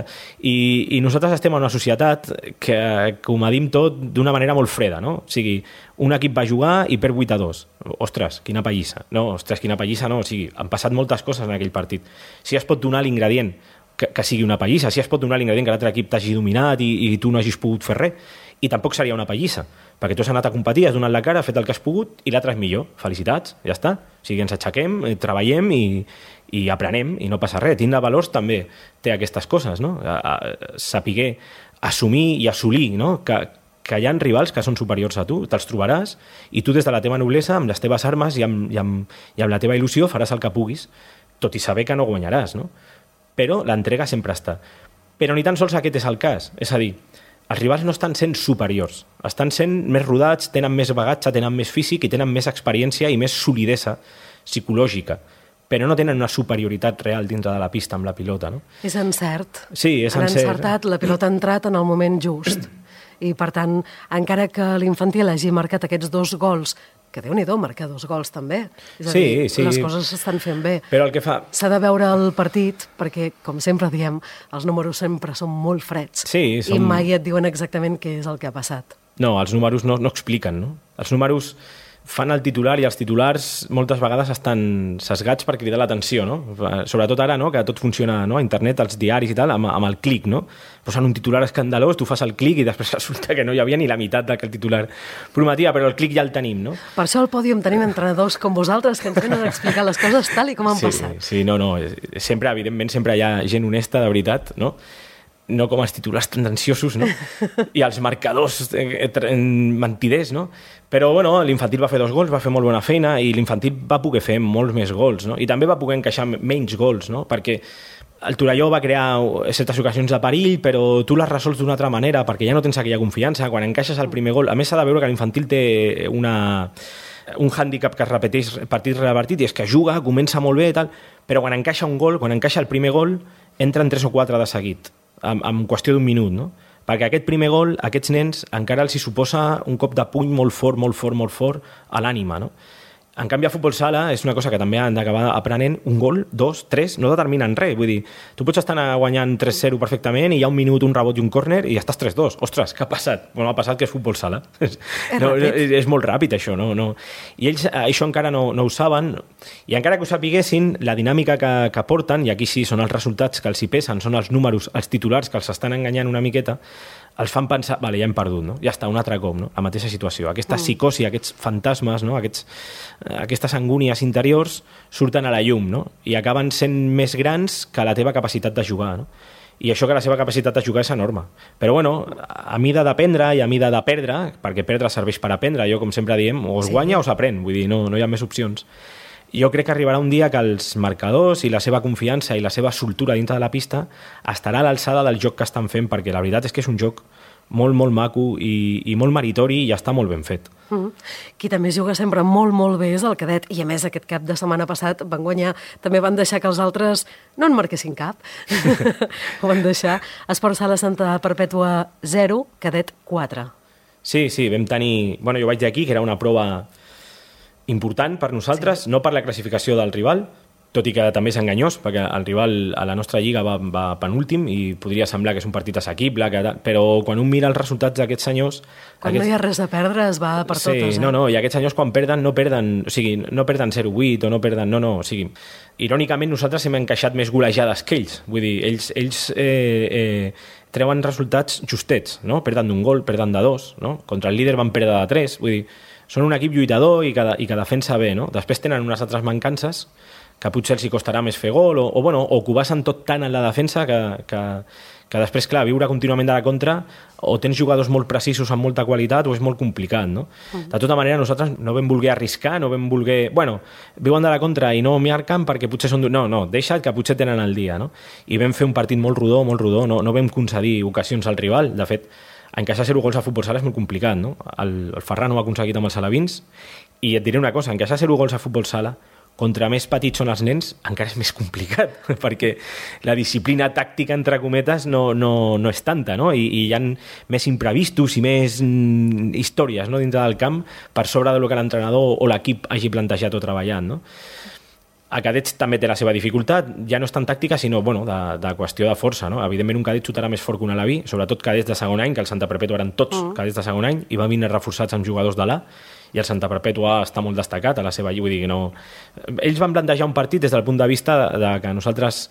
i nosaltres estem en una societat que ho medim tot d'una manera molt freda, no? O sigui, un equip va jugar i perd 8-2. Ostres, quina pallissa. No, o sigui, han passat moltes coses en aquell partit. Si es pot donar l'ingredient que sigui una pallissa, si es pot donar l'ingredient que l'altre equip t'hagi dominat i tu no hagis pogut fer res, i tampoc seria una pallissa, perquè tu has anat a competir, has donat la cara, has fet el que has pogut i l'altre és millor. Felicitats, ja està. O sigui, ens aixequem, treballem i aprenem i no passa res. Tindre valors també té aquestes coses, no? Saber assumir i assolir, no? Que hi ha rivals que són superiors a tu, te'ls trobaràs i tu des de la teva noblesa, amb les teves armes i amb la teva il·lusió faràs el que puguis, tot i saber que no guanyaràs, no? Però l'entrega sempre està. Però ni tan sols aquest és el cas. És a dir, els rivals no estan sent superiors, estan sent més rodats, tenen més bagatge, tenen més físic i tenen més experiència i més solidesa psicològica, però no tenen una superioritat real dintre de la pista amb la pilota, no? És encert. Sí, és encert. Han encertat, la pilota ha entrat en el moment just. I, per tant, encara que l'infantil hagi marcat aquests 2 gols, que Déu-n'hi-do, marcar 2 gols també. És a dir, sí. Les coses s'estan fent bé. Però el que fa... S'ha de veure el partit, perquè, com sempre diem, els números sempre són molt freds. Sí, I mai et diuen exactament què és el que ha passat. No, els números no expliquen, no? Els números fan el titular i els titulars moltes vegades estan sesgats per cridar l'atenció, no? Sobretot ara, no?, que tot funciona, no?, a internet, als diaris i tal, amb el clic, no? Posen un titular escandalós, tu fas el clic i després resulta que no hi havia ni la meitat del que el titular prometia, però el clic ja el tenim, no? Per això al pòdium tenim entrenadors com vosaltres que ens venen a explicar les coses tal i com han passat. Sí, no, sempre, evidentment, sempre hi ha gent honesta, de veritat, no? No com els titulars tendenciosos, no? I els marcadors mentiders, no? Però, bueno, l'infantil va fer 2 gols, va fer molt bona feina i l'infantil va poder fer molts més gols, no? I també va poder encaixar menys gols, no? Perquè el Torelló va crear certes ocasions de perill, però tu les resols d'una altra manera perquè ja no tens aquella confiança. Quan encaixes el primer gol... A més, s'ha de veure que l'infantil té un hàndicap que es repeteix partit rere partit i és que juga, comença molt bé i tal, però quan encaixa un gol, quan encaixa el primer gol, entren 3 o 4 de seguit. En qüestió d'un minut, no? Perquè aquest primer gol, a aquests nens, encara els hi suposa un cop de puny molt fort a l'ànima, no? En canvi, a futbol sala és una cosa que també han d'acabar aprenent. Un gol, 2, 3, no determinen res. Vull dir, tu pots estar guanyant 3-0 perfectament i hi ha un minut, un rebot i un córner i ja estàs 3-2. Ostres, què ha passat? Bueno, ha passat que és futbol sala. És molt ràpid, això. No. I ells això encara no ho saben. I encara que ho sapiguessin, la dinàmica que porten, i aquí sí són els resultats que els hi pesen, són els números, els titulars que els estan enganyant una miqueta, els fan pensar, vale, ja hem perdut, no? Ja està, un altre cop, no? La mateixa situació. Aquesta psicosi, aquests fantasmes, no? Aquestes angúnies interiors surten a la llum, no? I acaben sent més grans que la teva capacitat de jugar, no? I això que la seva capacitat de jugar és enorme. Però, bueno, a mida d'aprendre i a mida de perdre, perquè perdre serveix per aprendre, jo, com sempre diem, o es guanya o s'aprèn, vull dir, no hi ha més opcions. Jo crec que arribarà un dia que els marcadors i la seva confiança i la seva soltura dintre de la pista estarà a l'alçada del joc que estan fent, perquè la veritat és que és un joc molt, molt maco i molt meritori i ja està molt ben fet. Qui també juga sempre molt, molt bé és el cadet, i a més aquest cap de setmana passat van guanyar, també van deixar que els altres no en marquessin cap. Ho van deixar. Esport Sala Santa Perpètua 0, cadet 4. Sí, vam tenir... Bueno, jo vaig dir aquí que era una prova important per nosaltres, no per la classificació del rival, tot i que també és enganyós, perquè el rival a la nostra lliga va penúltim i podria semblar que és un partit assequible, però quan un mira els resultats d'aquests senyors... Quan no hi ha res a perdre es va per totes. Sí, no, i aquests senyors quan perden no perden, o sigui, no perden 0-8 o no perden... No, o sigui, irònicament nosaltres hem encaixat més golejades que ells, vull dir, ells treuen resultats justets, no? Perden d'1 gol, perden de 2, no? Contra el líder van perdre de 3, vull dir, són un equip lluitador i que defensa bé, no? Després tenen unes altres mancances que potser els hi costarà més fer gol o que ho basen tot tant en la defensa que després, clar, viure contínuament de la contra o tens jugadors molt precisos amb molta qualitat o és molt complicat, no? De tota manera, nosaltres no vam voler arriscar, no vam voler... Bueno, viuen de la contra i no marquen perquè potser són... No, deixa't que potser tenen el dia, no? I vam fer un partit molt rodó, no vam concedir ocasions al rival. De fet, encaixar 0 gols a futbol sala és molt complicat, no? El Ferran ho ha aconseguit amb els alevins i et diré una cosa, encaixar 0 gols a futbol sala contra més petits són els nens, encara és més complicat, perquè la disciplina tàctica, entre cometes, no és tanta, no? I hi ha més imprevistos i més històries, no?, dintre del camp per sobre del que l'entrenador o l'equip hagi plantejat o treballat, no? A cadets també té la seva dificultat, ja no és tan tàctica, sinó de qüestió de força, no? Evidentment un cadet xutarà més fort que un alaví, sobretot cadets de segon any, que el Santa Perpètua eren tots cadets de segon any, i van vindre reforçats amb jugadors de l'A, i el Santa Perpètua està molt destacat a la seva lliga, vull dir que no... Ells van plantejar un partit des del punt de vista de que nosaltres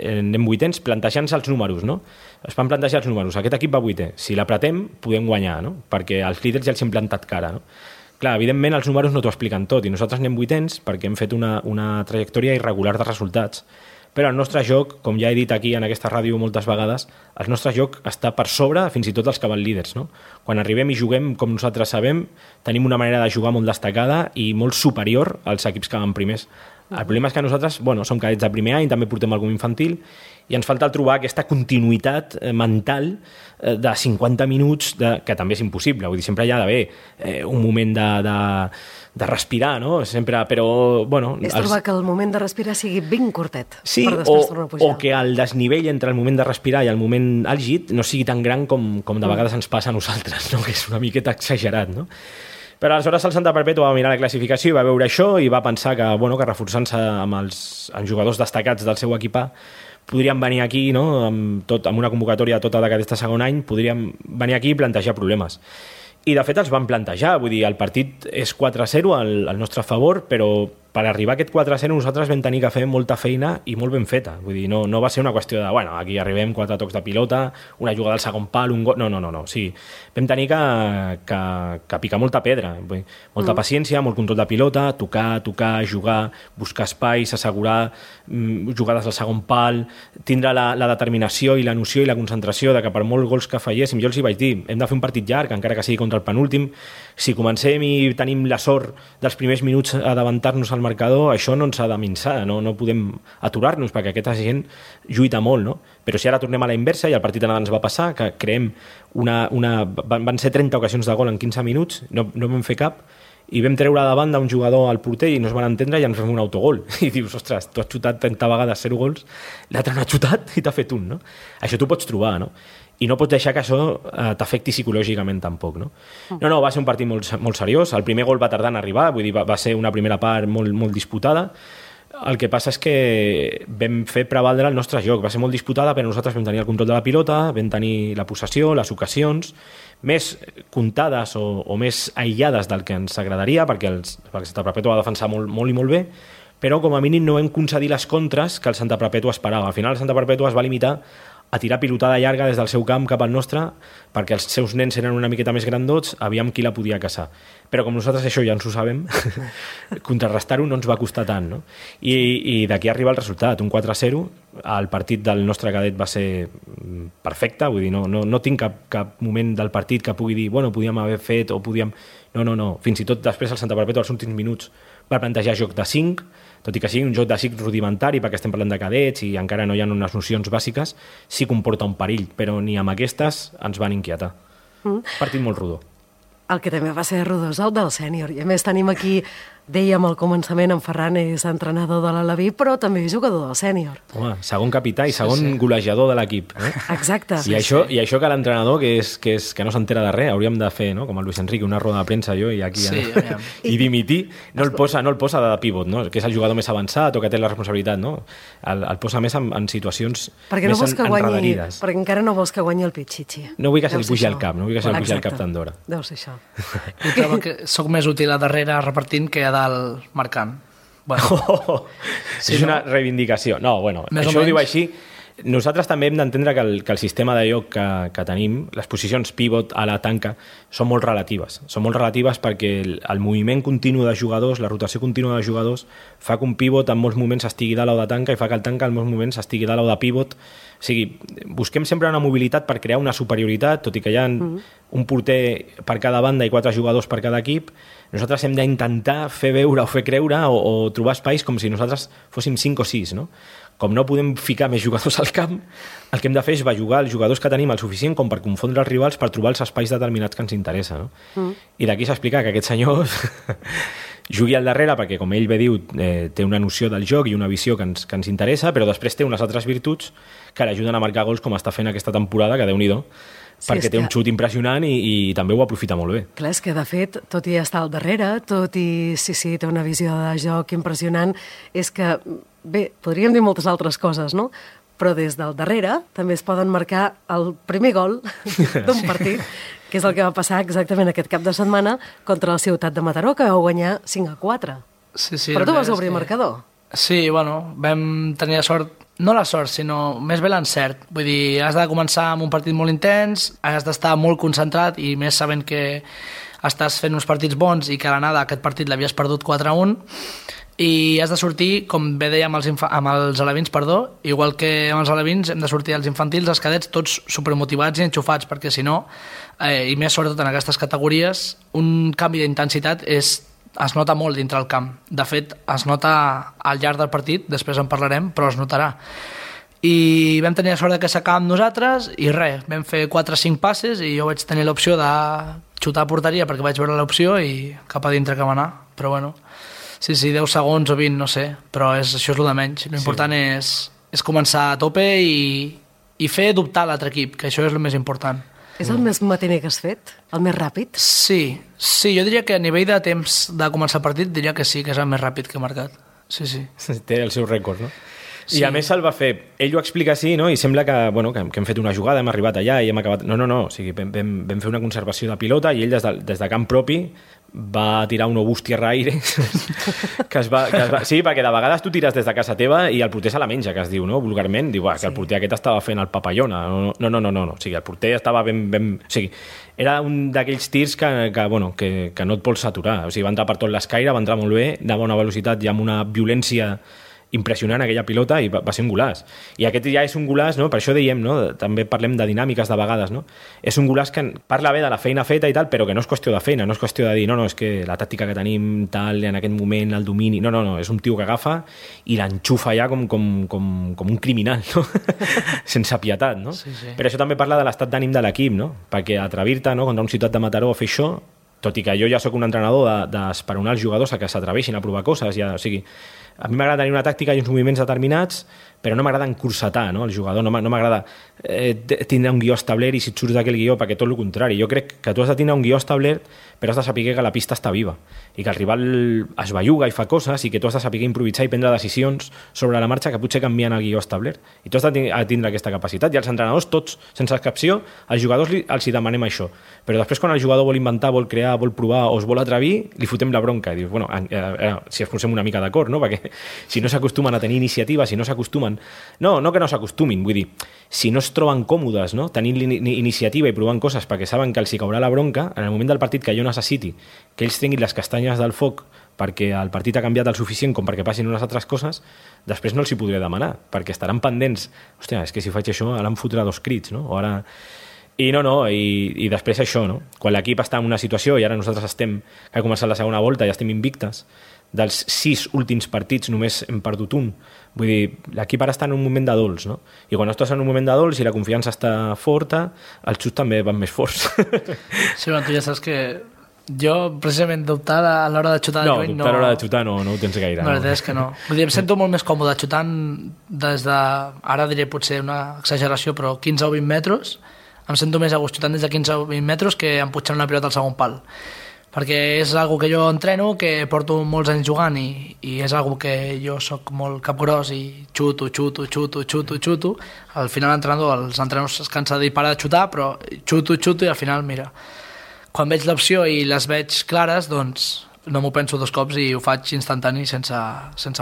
anem vuitens plantejant-se els números, no? Es van plantejar els números, aquest equip va vuitè, si l'apretem podem guanyar, no? Perquè els líders ja els hem plantat cara, no? Clar, evidentment els números no t'ho expliquen tot i nosaltres anem vuitens perquè hem fet una trajectòria irregular de resultats. Però el nostre joc, com ja he dit aquí en aquesta ràdio moltes vegades, el nostre joc està per sobre fins i tot dels que van líders, no? Quan arribem i juguem com nosaltres sabem, tenim una manera de jugar molt destacada i molt superior als equips que van primers. El problema és que nosaltres, som cadets de primer any, també portem algun infantil, i ens falta trobar aquesta continuïtat mental de 50 minuts, que també és impossible. Vull dir, sempre hi ha d'haver un moment de respirar, no? Sempre, però, És trobar que el moment de respirar sigui ben curtet. Sí, per després tornar a pujar. O que el desnivell entre el moment de respirar i el moment àlgid no sigui tan gran com de vegades ens passa a nosaltres, no? Que és una miqueta exagerat, no? Però aleshores el Santa Perpètua va mirar la classificació i va veure això i va pensar que reforçant-se amb jugadors destacats del seu equipar podríem venir aquí, no? amb una convocatòria tota de cadets de segon any, podríem venir aquí i plantejar problemes. I de fet els van plantejar, vull dir, el partit és 4-0 al nostre favor, però per arribar a aquest 4-0 nosaltres vam tenir que fer molta feina i molt ben feta. Vull dir, no va ser una qüestió de, aquí arribem 4 tocs de pilota, una jugada al segon pal, un gol... No. Sí, vam tenir que picar molta pedra. Vull dir, molta paciència, molt control de pilota, tocar, jugar, buscar espais, assegurar jugades al segon pal, tindre la determinació i la noció i la concentració de que per molts gols que falléssim, jo els hi vaig dir, hem de fer un partit llarg, encara que sigui contra el penúltim. Si comencem i tenim la sort dels primers minuts a davantar-nos al marcador, això no ens ha de minçar, no podem aturar-nos perquè aquesta gent lluita molt, no? Però si ara tornem a la inversa i el partit anada ens va passar, que creem van ser 30 ocasions de gol en 15 minuts, no vam fer cap, i vam treure davant d'un jugador al porter i no es van entendre i ens fem un autogol. I dius, ostres, tu has xutat 30 vegades 0 gols, l'altre no ha xutat i t'ha fet un, no? Això t'ho pots trobar, no? I no pots deixar que això t'afecti psicològicament tampoc, no? No, va ser un partit molt seriós. El primer gol va tardar en arribar, vull dir, va ser una primera part molt disputada. El que passa és que vam fer prevaldre el nostre joc. Va ser molt disputada, però nosaltres vam tenir el control de la pilota, vam tenir la possessió, les ocasions, més comptades o més aïllades del que ens agradaria, perquè el Santa Perpètua va defensar molt i molt bé, però com a mínim no vam concedir les contres que el Santa Perpètua esperava. Al final el Santa Perpètua es va limitar a tirar pilotada llarga des del seu camp cap al nostre, perquè els seus nens eren una miqueta més grandots, aviam qui la podia caçar. Però com nosaltres això ja ens ho sabem, contrarrestar-ho no ens va costar tant, no? I d'aquí arriba el resultat, un 4-0, el partit del nostre cadet va ser perfecte, vull dir, no tinc cap moment del partit que pugui dir, podíem haver fet o podíem... No, fins i tot després el Santa Perpètua als últims minuts va plantejar joc de 5, tot i que sigui un joc de 5 rudimentari, perquè estem parlant de cadets i encara no hi ha unes nocions bàsiques, sí comporta un perill, però ni amb aquestes ens van inquietar. Partit molt rodó. El que també va ser rodó és el del sènior. I a més tenim aquí, dèiem al començament, en Ferran és entrenador de l'Alaví, però també és jugador del sènior. Home, segon capità i segon golejador de l'equip. Exacte. I això que l'entrenador, que no s'entera de res, hauríem de fer, no? Com el Luis Enrique, una roda de premsa jo i aquí i dimitir. No el posa de pivot, no? Que és el jugador més avançat o que té la responsabilitat, no? El posa més en situacions més enredarides. Perquè encara no vols que guanyi el Pichichi. No vull que se li pugi al cap, no vull que se li pugi al cap tant d'hora. Deu ser això. I trobo que soc més útil a darrere repartint que a dalt marcant. Bueno, és una reivindicació. No, bueno, això ho diu així. Nosaltres també hem d'entendre que el sistema de joc que tenim, les posicions pivot a la tanca, són molt relatives. Són molt relatives perquè el moviment continu de jugadors, la rotació contínua de jugadors, fa que un pivot en molts moments estigui dalt o de tanca i fa que el tanca en molts moments estigui dalt o de pivot. O sigui, busquem sempre una mobilitat per crear una superioritat, tot i que hi ha un porter per cada banda i 4 jugadors per cada equip. Nosaltres hem d'intentar fer veure o fer creure o trobar espais com si nosaltres fóssim 5 o 6, no? Com no podem ficar més jugadors al camp, el que hem de fer és bellugar els jugadors que tenim el suficient com per confondre els rivals per trobar els espais determinats que ens interessa, no? I d'aquí s'explica que aquest senyor jugui al darrere perquè, com ell bé diu, té una noció del joc i una visió que ens interessa, però després té unes altres virtuts que l'ajuden a marcar gols com està fent aquesta temporada, que Déu-n'hi-do, perquè té un xut impressionant i també ho aprofita molt bé. Clar, és que de fet, tot i estar al darrere, tot i sí, té una visió de joc impressionant, és que, bé, podríem dir moltes altres coses, no? Però des del darrere també es poden marcar el primer gol d'un partit, que és el que va passar exactament aquest cap de setmana contra la Ciutat de Mataró, que vau guanyar 5-4. Sí, però tu vas obrir marcador. Sí, bueno, vam tenir la sort, no la sort, sinó més bé l'encert. Vull dir, has de començar amb un partit molt intens, has d'estar molt concentrat i més sabent que estàs fent uns partits bons i que a l'anada aquest partit l'havies perdut 4-1 i has de sortir, com bé deia amb els alevins, igual que amb els alevins hem de sortir els infantils, els cadets, tots supermotivats i enxufats, perquè si no, i més sobretot en aquestes categories, un canvi d'intensitat es nota molt dintre el camp. De fet, es nota al llarg del partit, després en parlarem, però es notarà. I vam tenir la sort que s'acaba amb nosaltres i res, vam fer 4 o 5 passes i jo vaig tenir l'opció de xutar a porteria perquè vaig veure l'opció i cap a dintre que va anar, però bueno, sí, 10 segons o 20, no sé, però això és el de menys. L'important és començar a tope i fer dubtar l'altre equip, que això és el més important. És el més matiner que has fet? El més ràpid? Sí, jo diria que a nivell de temps de començar el partit diria que sí, que és el més ràpid que he marcat. Sí. Té el seu rècord, no? Sí. I a més se'l va fer, ell ho explica així, no? I sembla que hem fet una jugada, hem arribat allà i hem acabat... No, o sigui, vam fer una conservació de pilota i ell des de camp propi va tirar un obús tierra aire sí, perquè de vegades tu tires des de casa teva i el porter se la menja, que es diu, no? Vulgarment, diu, que el porter aquest estava fent el papallona. No, o sigui, el porter estava ben... O sigui, era un d'aquells tirs que no et vols aturar. O sigui, va entrar per tot l'escaire, va entrar molt bé, de bona velocitat i amb una violència impressionant aquella pilota i va ser un golaç. I aquest ja és un golaç, no? Per això dèiem, no? També parlem de dinàmiques de vegades, no? És un golaç que parla bé de la feina feta i tal, però que no és qüestió de feina, no és qüestió de dir, no, és que la tàctica que tenim tal, en aquest moment, el domini... No, és un tio que agafa i l'enxufa ja com un criminal, no? Sense pietat, no? Sí. Però això també parla de l'estat d'ànim de l'equip, no? Perquè atrevir-te, no?, contra un Ciutat de Mataró a fer això, tot i que jo ja sóc un entrenador d'esperonar els jugadors a que s'atreveixin a provar coses, o sigui, a mi m'agrada tenir una tàctica i uns moviments determinats, però no m'agrada encursetar, no? El jugador, no m'agrada tindre un guió establert i si et surts d'aquell guió, perquè tot el contrari. Jo crec que tu has de tindre un guió establert, però has de saber que la pista està viva i que el rival es belluga i fa coses i que tu has de saber improvisar i prendre decisions sobre la marxa que potser canvien el guió establert. I tu has de tindre aquesta capacitat. I els entrenadors, tots, sense excepció, als jugadors els hi demanem això. Però després, quan el jugador vol inventar, vol crear, vol provar o es vol atrevir, li fotem la bronca. I dius, bueno, si ens posem una mica d'acord, no? Perquè si no s'acostumen a tenir iniciativa, si no s'acostumen... No que no s'acostumin, vull dir, si no es troben còmodes, no?, tenint iniciativa i provant coses perquè saben que els hi caurà la bronca, en el moment del partit que jo necessiti que ells tinguin les castanyes del foc perquè el partit ha canviat el suficient com perquè passin unes altres coses, després no els hi podré demanar, perquè estaran pendents. Hòstia, és que si faig això ara em fotrà 2 crits, no? O ara... I després això, no? Quan l'equip està en una situació i ara nosaltres que ha començat la segona volta i estem invictes, dels 6 últims partits només hem perdut un. Vull dir, l'equip ara està en un moment de dols, no? I quan estàs en un moment de dols i la confiança està forta, els xuts també van més forts. Sí, bueno, tu ja saps que jo, precisament, dubtar a l'hora de xutar de lluny... No, dubtar a l'hora de xutar no ho tens gaire. La veritat és que no. Vull dir, em sento molt més còmode xutant des de... Ara diré potser una exageració, però 15 o 20 metres. Em sento més a gust xutant des de 15 o 20 metres que emputxant una pilota al segon pal. Perquè és algo que jo entreno, que porto molts anys jugant i és algo que jo sóc molt capgros i xuto. Al final els entrenadors es cansa de dir para de xutar, però xuto i al final, mira, quan veig l'opció i les veig clares, doncs no m'ho penso 2 cops i ho faig instantani sense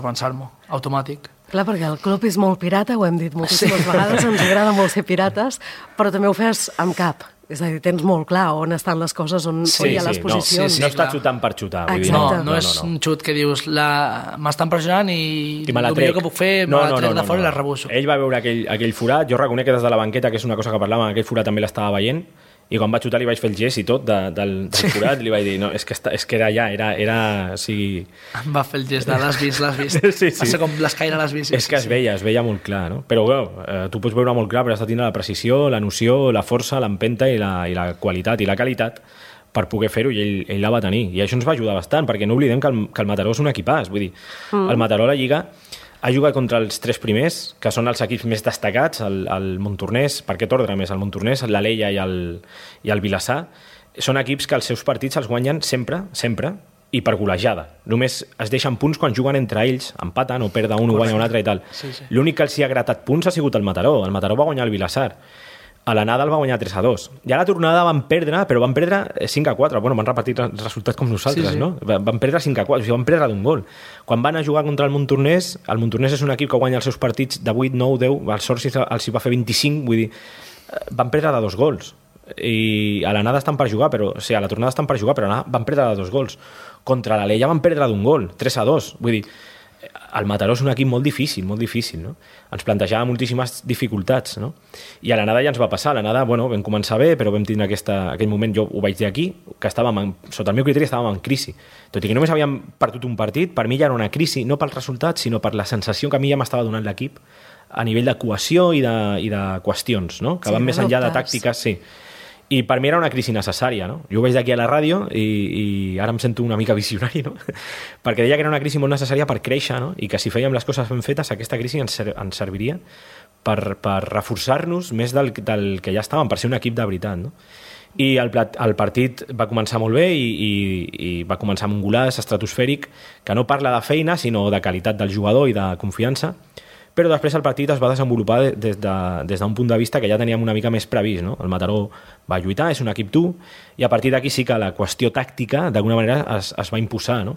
pensar-m'ho, automàtic. Clar, perquè el club és molt pirata, ho hem dit moltíssimes vegades, ens agrada molt ser pirates, però també ho fes amb cap. És a dir, tens molt clar on estan les coses, on hi ha les posicions. No està xutant per xutar. Vull dir, no és un xut que dius m'estan pressionant i el millor que puc fer me la trec de fora i la rebusso. Ell va veure aquell forat, jo reconec que des de la banqueta, que és una cosa que parlàvem, aquell forat també l'estava veient, i quan va xutar li vaig fer el gest i tot del forat, li vaig dir, no, és que era allà, era o sigui... Em va fer el gest de l'has vist. Sí. Va ser com l'escaire l'has vist. És que es veia molt clar, no? Però tu pots veure molt clar, però has de tindre la precisió, la noció, la força, l'empenta i la qualitat i la qualitat per poder fer-ho, i ell la va tenir. I això ens va ajudar bastant, perquè no oblidem que el Mataró és un equipàs. Vull dir, el Mataró a la Lliga ha jugat contra els 3 primers, que són els equips més destacats, el Montornès, per aquest ordre més, el Montornès, l'Alella i el Vilassar. Són equips que els seus partits els guanyen sempre, i per golejada. Només es deixen punts quan juguen entre ells, empaten o perden un o guanya un altre i tal. Sí. L'únic que els hi ha gratat punts ha sigut el Mataró. El Mataró va guanyar el Vilassar. A l'anada el va guanyar 3-2. I a la tornada van perdre, però van perdre 5-4. Bueno, van repetir el resultat com nosaltres, sí. No? Van perdre 5-4, o sigui, van perdre d'un gol. Quan van a jugar contra el Montornès és un equip que guanya els seus partits de 8, 9, 10, el Sorsi els hi va fer 25, vull dir, van perdre de 2 gols. I a l'anada estan per jugar, però, o sigui, a la tornada estan per jugar, però van perdre de 2 gols. Contra l'Alella van perdre d'un gol, 3-2. Vull dir, el Mataró és un equip molt difícil, no? Ens plantejava moltíssimes dificultats, no? I a l'anada ja ens va passar. A l'anada, bueno, vam començar bé, però vam tindre aquell moment, jo ho vaig dir aquí, que sota el meu criteri estàvem en crisi. Tot i que només havíem perdut un partit, per mi ja era una crisi, no pels resultats, sinó per la sensació que a mi ja m'estava donant l'equip a nivell de cohesió i de qüestions, no? Que van més enllà de tàctiques, sí. I per mi era una crisi necessària, no? Jo ho veig d'aquí a la ràdio i ara em sento una mica visionari, no? Perquè deia que era una crisi molt necessària per créixer, no? I que si fèiem les coses ben fetes, aquesta crisi ens serviria per reforçar-nos més del que ja estàvem, per ser un equip de veritat, no? I el partit va començar molt bé i va començar amb un golaç estratosfèric que no parla de feina, sinó de qualitat del jugador i de confiança, però després el partit es va desenvolupar des d'un punt de vista que ja teníem una mica més previst, no? El Mataró va lluitar, és un equip dur, i a partir d'aquí sí que la qüestió tàctica d'alguna manera es va imposar, no?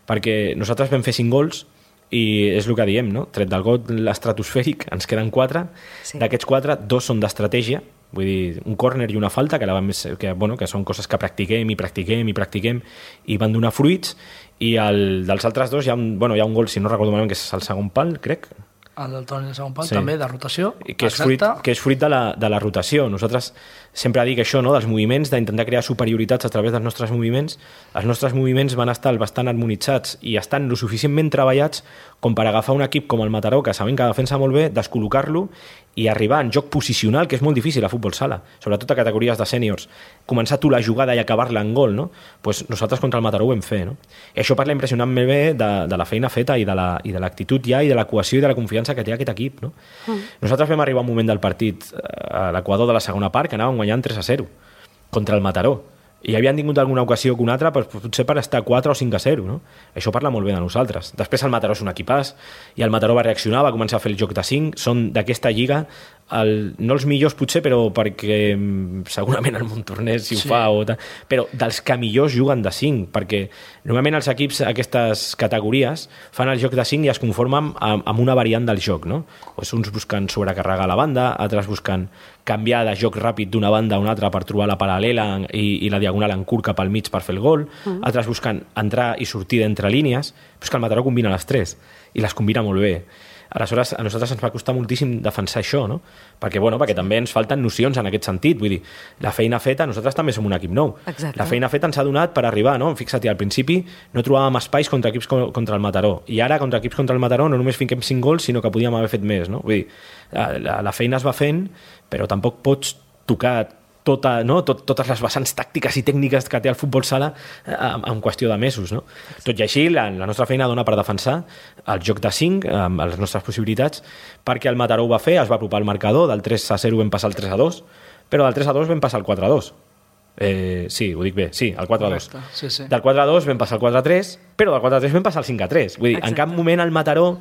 Perquè nosaltres vam fer 5 gols i és el que diem, no? Tret del gol estratosfèric ens queden 4, sí. D'aquests 4, 2 són d'estratègia, vull dir, un córner i una falta, que són coses que practiquem i van donar fruits, i dels altres 2 hi ha un gol, si no recordo malament, que és el segon pal, crec. El del Toni de segon pal, sí. També, de rotació. Que és fruit de la rotació. Nosaltres sempre dic això, no? Dels moviments, d'intentar crear superioritats a través dels nostres moviments. Els nostres moviments van estar bastant harmonitzats i estan lo suficientment treballats com per agafar un equip com el Mataró, que sabem que defensa molt bé, descol·locar-lo i arribar en joc posicional, que és molt difícil a futbol sala, sobretot a categories de sèniors. Començar tu la jugada i acabar-la en gol, no? Pues nosaltres contra el Mataró ho vam fer, no? I això parla impressionantment bé de la feina feta i de l'actitud ja i de la cohesió i de la confiança que té aquest equip, no? Nosaltres vam arribar a un moment del partit a l'equador de la segona part que anàvem guanyant 3-0 contra el Mataró i havien tingut alguna ocasió que una altra, potser per estar 4 o 5-0, no? Això parla molt bé de nosaltres. Després el Mataró és un equipàs i el Mataró va reaccionar, va començar a fer el joc de 5, són d'aquesta lliga no els millors potser, però perquè segurament el Montornès si ho fa o tal, però dels que millors juguen de 5, perquè normalment els equips aquestes categories fan el joc de 5 i es conformen amb una variant del joc, no? Pues uns busquen sobrecarregar la banda, altres busquen canviar de joc ràpid d'una banda a una altra per trobar la paral·lela i la diagonal en curt cap al mig per fer el gol, altres busquen entrar i sortir d'entre línies, però és que el Mataró combina les 3 i les combina molt bé. Aleshores, a nosaltres ens va costar moltíssim defensar això, no? Perquè també ens falten nocions en aquest sentit. Vull dir, la feina feta, nosaltres també som un equip nou. Exacte. La feina feta ens ha donat per arribar, no? Fixa't, al principi no trobàvem espais contra equips contra el Mataró. I ara, contra equips contra el Mataró, no només fiquem 5 gols, sinó que podíem haver fet més, no? Vull dir, la feina es va fent, però tampoc pots tocar totes les vessants tàctiques i tècniques que té el futbol sala en qüestió de mesos, no? Tot i així, la nostra feina dona per defensar el joc de 5, amb les nostres possibilitats, perquè el Mataró ho va fer, es va apropar al marcador, del 3-0 vam passar al 3-2, però del 3-2 vam passar al 4-2. Sí, ho dic bé, sí, al 4-2. Sí. Del 4-2 vam passar al 4-3, però del 4-3 vam passar al 5-3. Vull dir, en cap moment el Mataró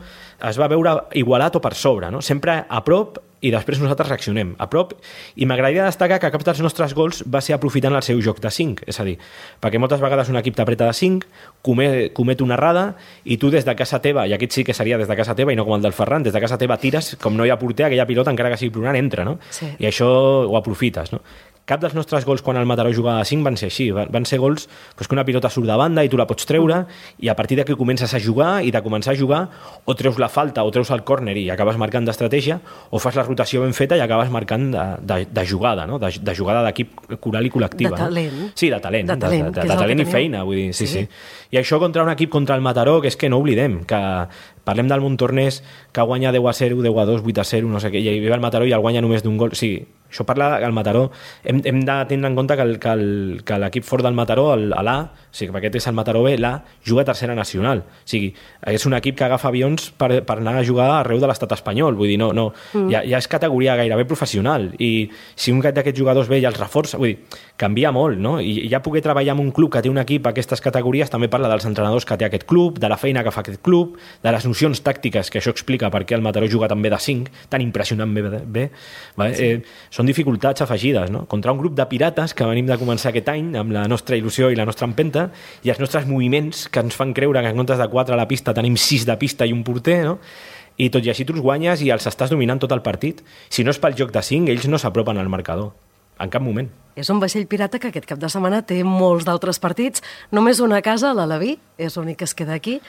es va veure igualat o per sobre, no? Sempre a prop i després nosaltres reaccionem a prop, i m'agradaria destacar que cap dels nostres gols va ser aprofitant el seu joc de 5, és a dir, perquè moltes vegades un equip t'apreta de 5, comet una errada i tu des de casa teva, i aquest sí que seria des de casa teva i no com el del Ferran, des de casa teva tires, com no hi ha porter, aquella pilota encara que sigui plorant entra, no? Sí. I això ho aprofites, no? Cap dels nostres gols quan el Mataró jugava a 5 van ser així, van ser gols que una pilota surt de banda i tu la pots treure, i a partir d'aquí comences a jugar, i de començar a jugar o treus la falta o treus el córner i acabes marcant d'estratègia, o fas la rotació ben feta i acabes marcant de jugada, no? De jugada d'equip coral i col·lectiva. De talent. No? Sí, de talent. De talent, de talent i feina, vull dir, sí. I això contra un equip contra el Mataró, que és que no oblidem, que parlem del Montornès, que guanya 10-0, 10-2, 8-0, no sé què, i ve el Mataró i el guanya només d'un gol. Sí, això parla que el Mataró... Hem de tenir en compte que l'equip fort del Mataró, l'A, o sigui, que aquest és el Mataró B, l'A, juga a tercera nacional. O sigui, és un equip que agafa avions per anar a jugar arreu de l'estat espanyol. Vull dir, ja és categoria gairebé professional. I si un d'aquests jugadors ve i els reforça, vull dir, canvia molt, no? I ja poder treballar en un club que té un equip a aquestes categories també parla dels entrenadors que té aquest club, de la feina que fa aquest club, de les nocions tàctiques, que això explica per què el Mataró juga també de 5, tan impressionant bé. Vale? Sí. Són dificultats afegides, no? Contra un grup de pirates que venim de començar aquest any amb la nostra il·lusió i la nostra empenta, i els nostres moviments que ens fan creure que en comptes de 4 a la pista tenim 6 de pista i un porter, no? I tot i així tu els guanyes i els estàs dominant tot el partit. Si no és pel joc de 5, ells no s'apropen al marcador. En cap moment. És un vaixell pirata que aquest cap de setmana té molts d'altres partits. Només una a casa, l'Alaví, és l'únic que es queda aquí,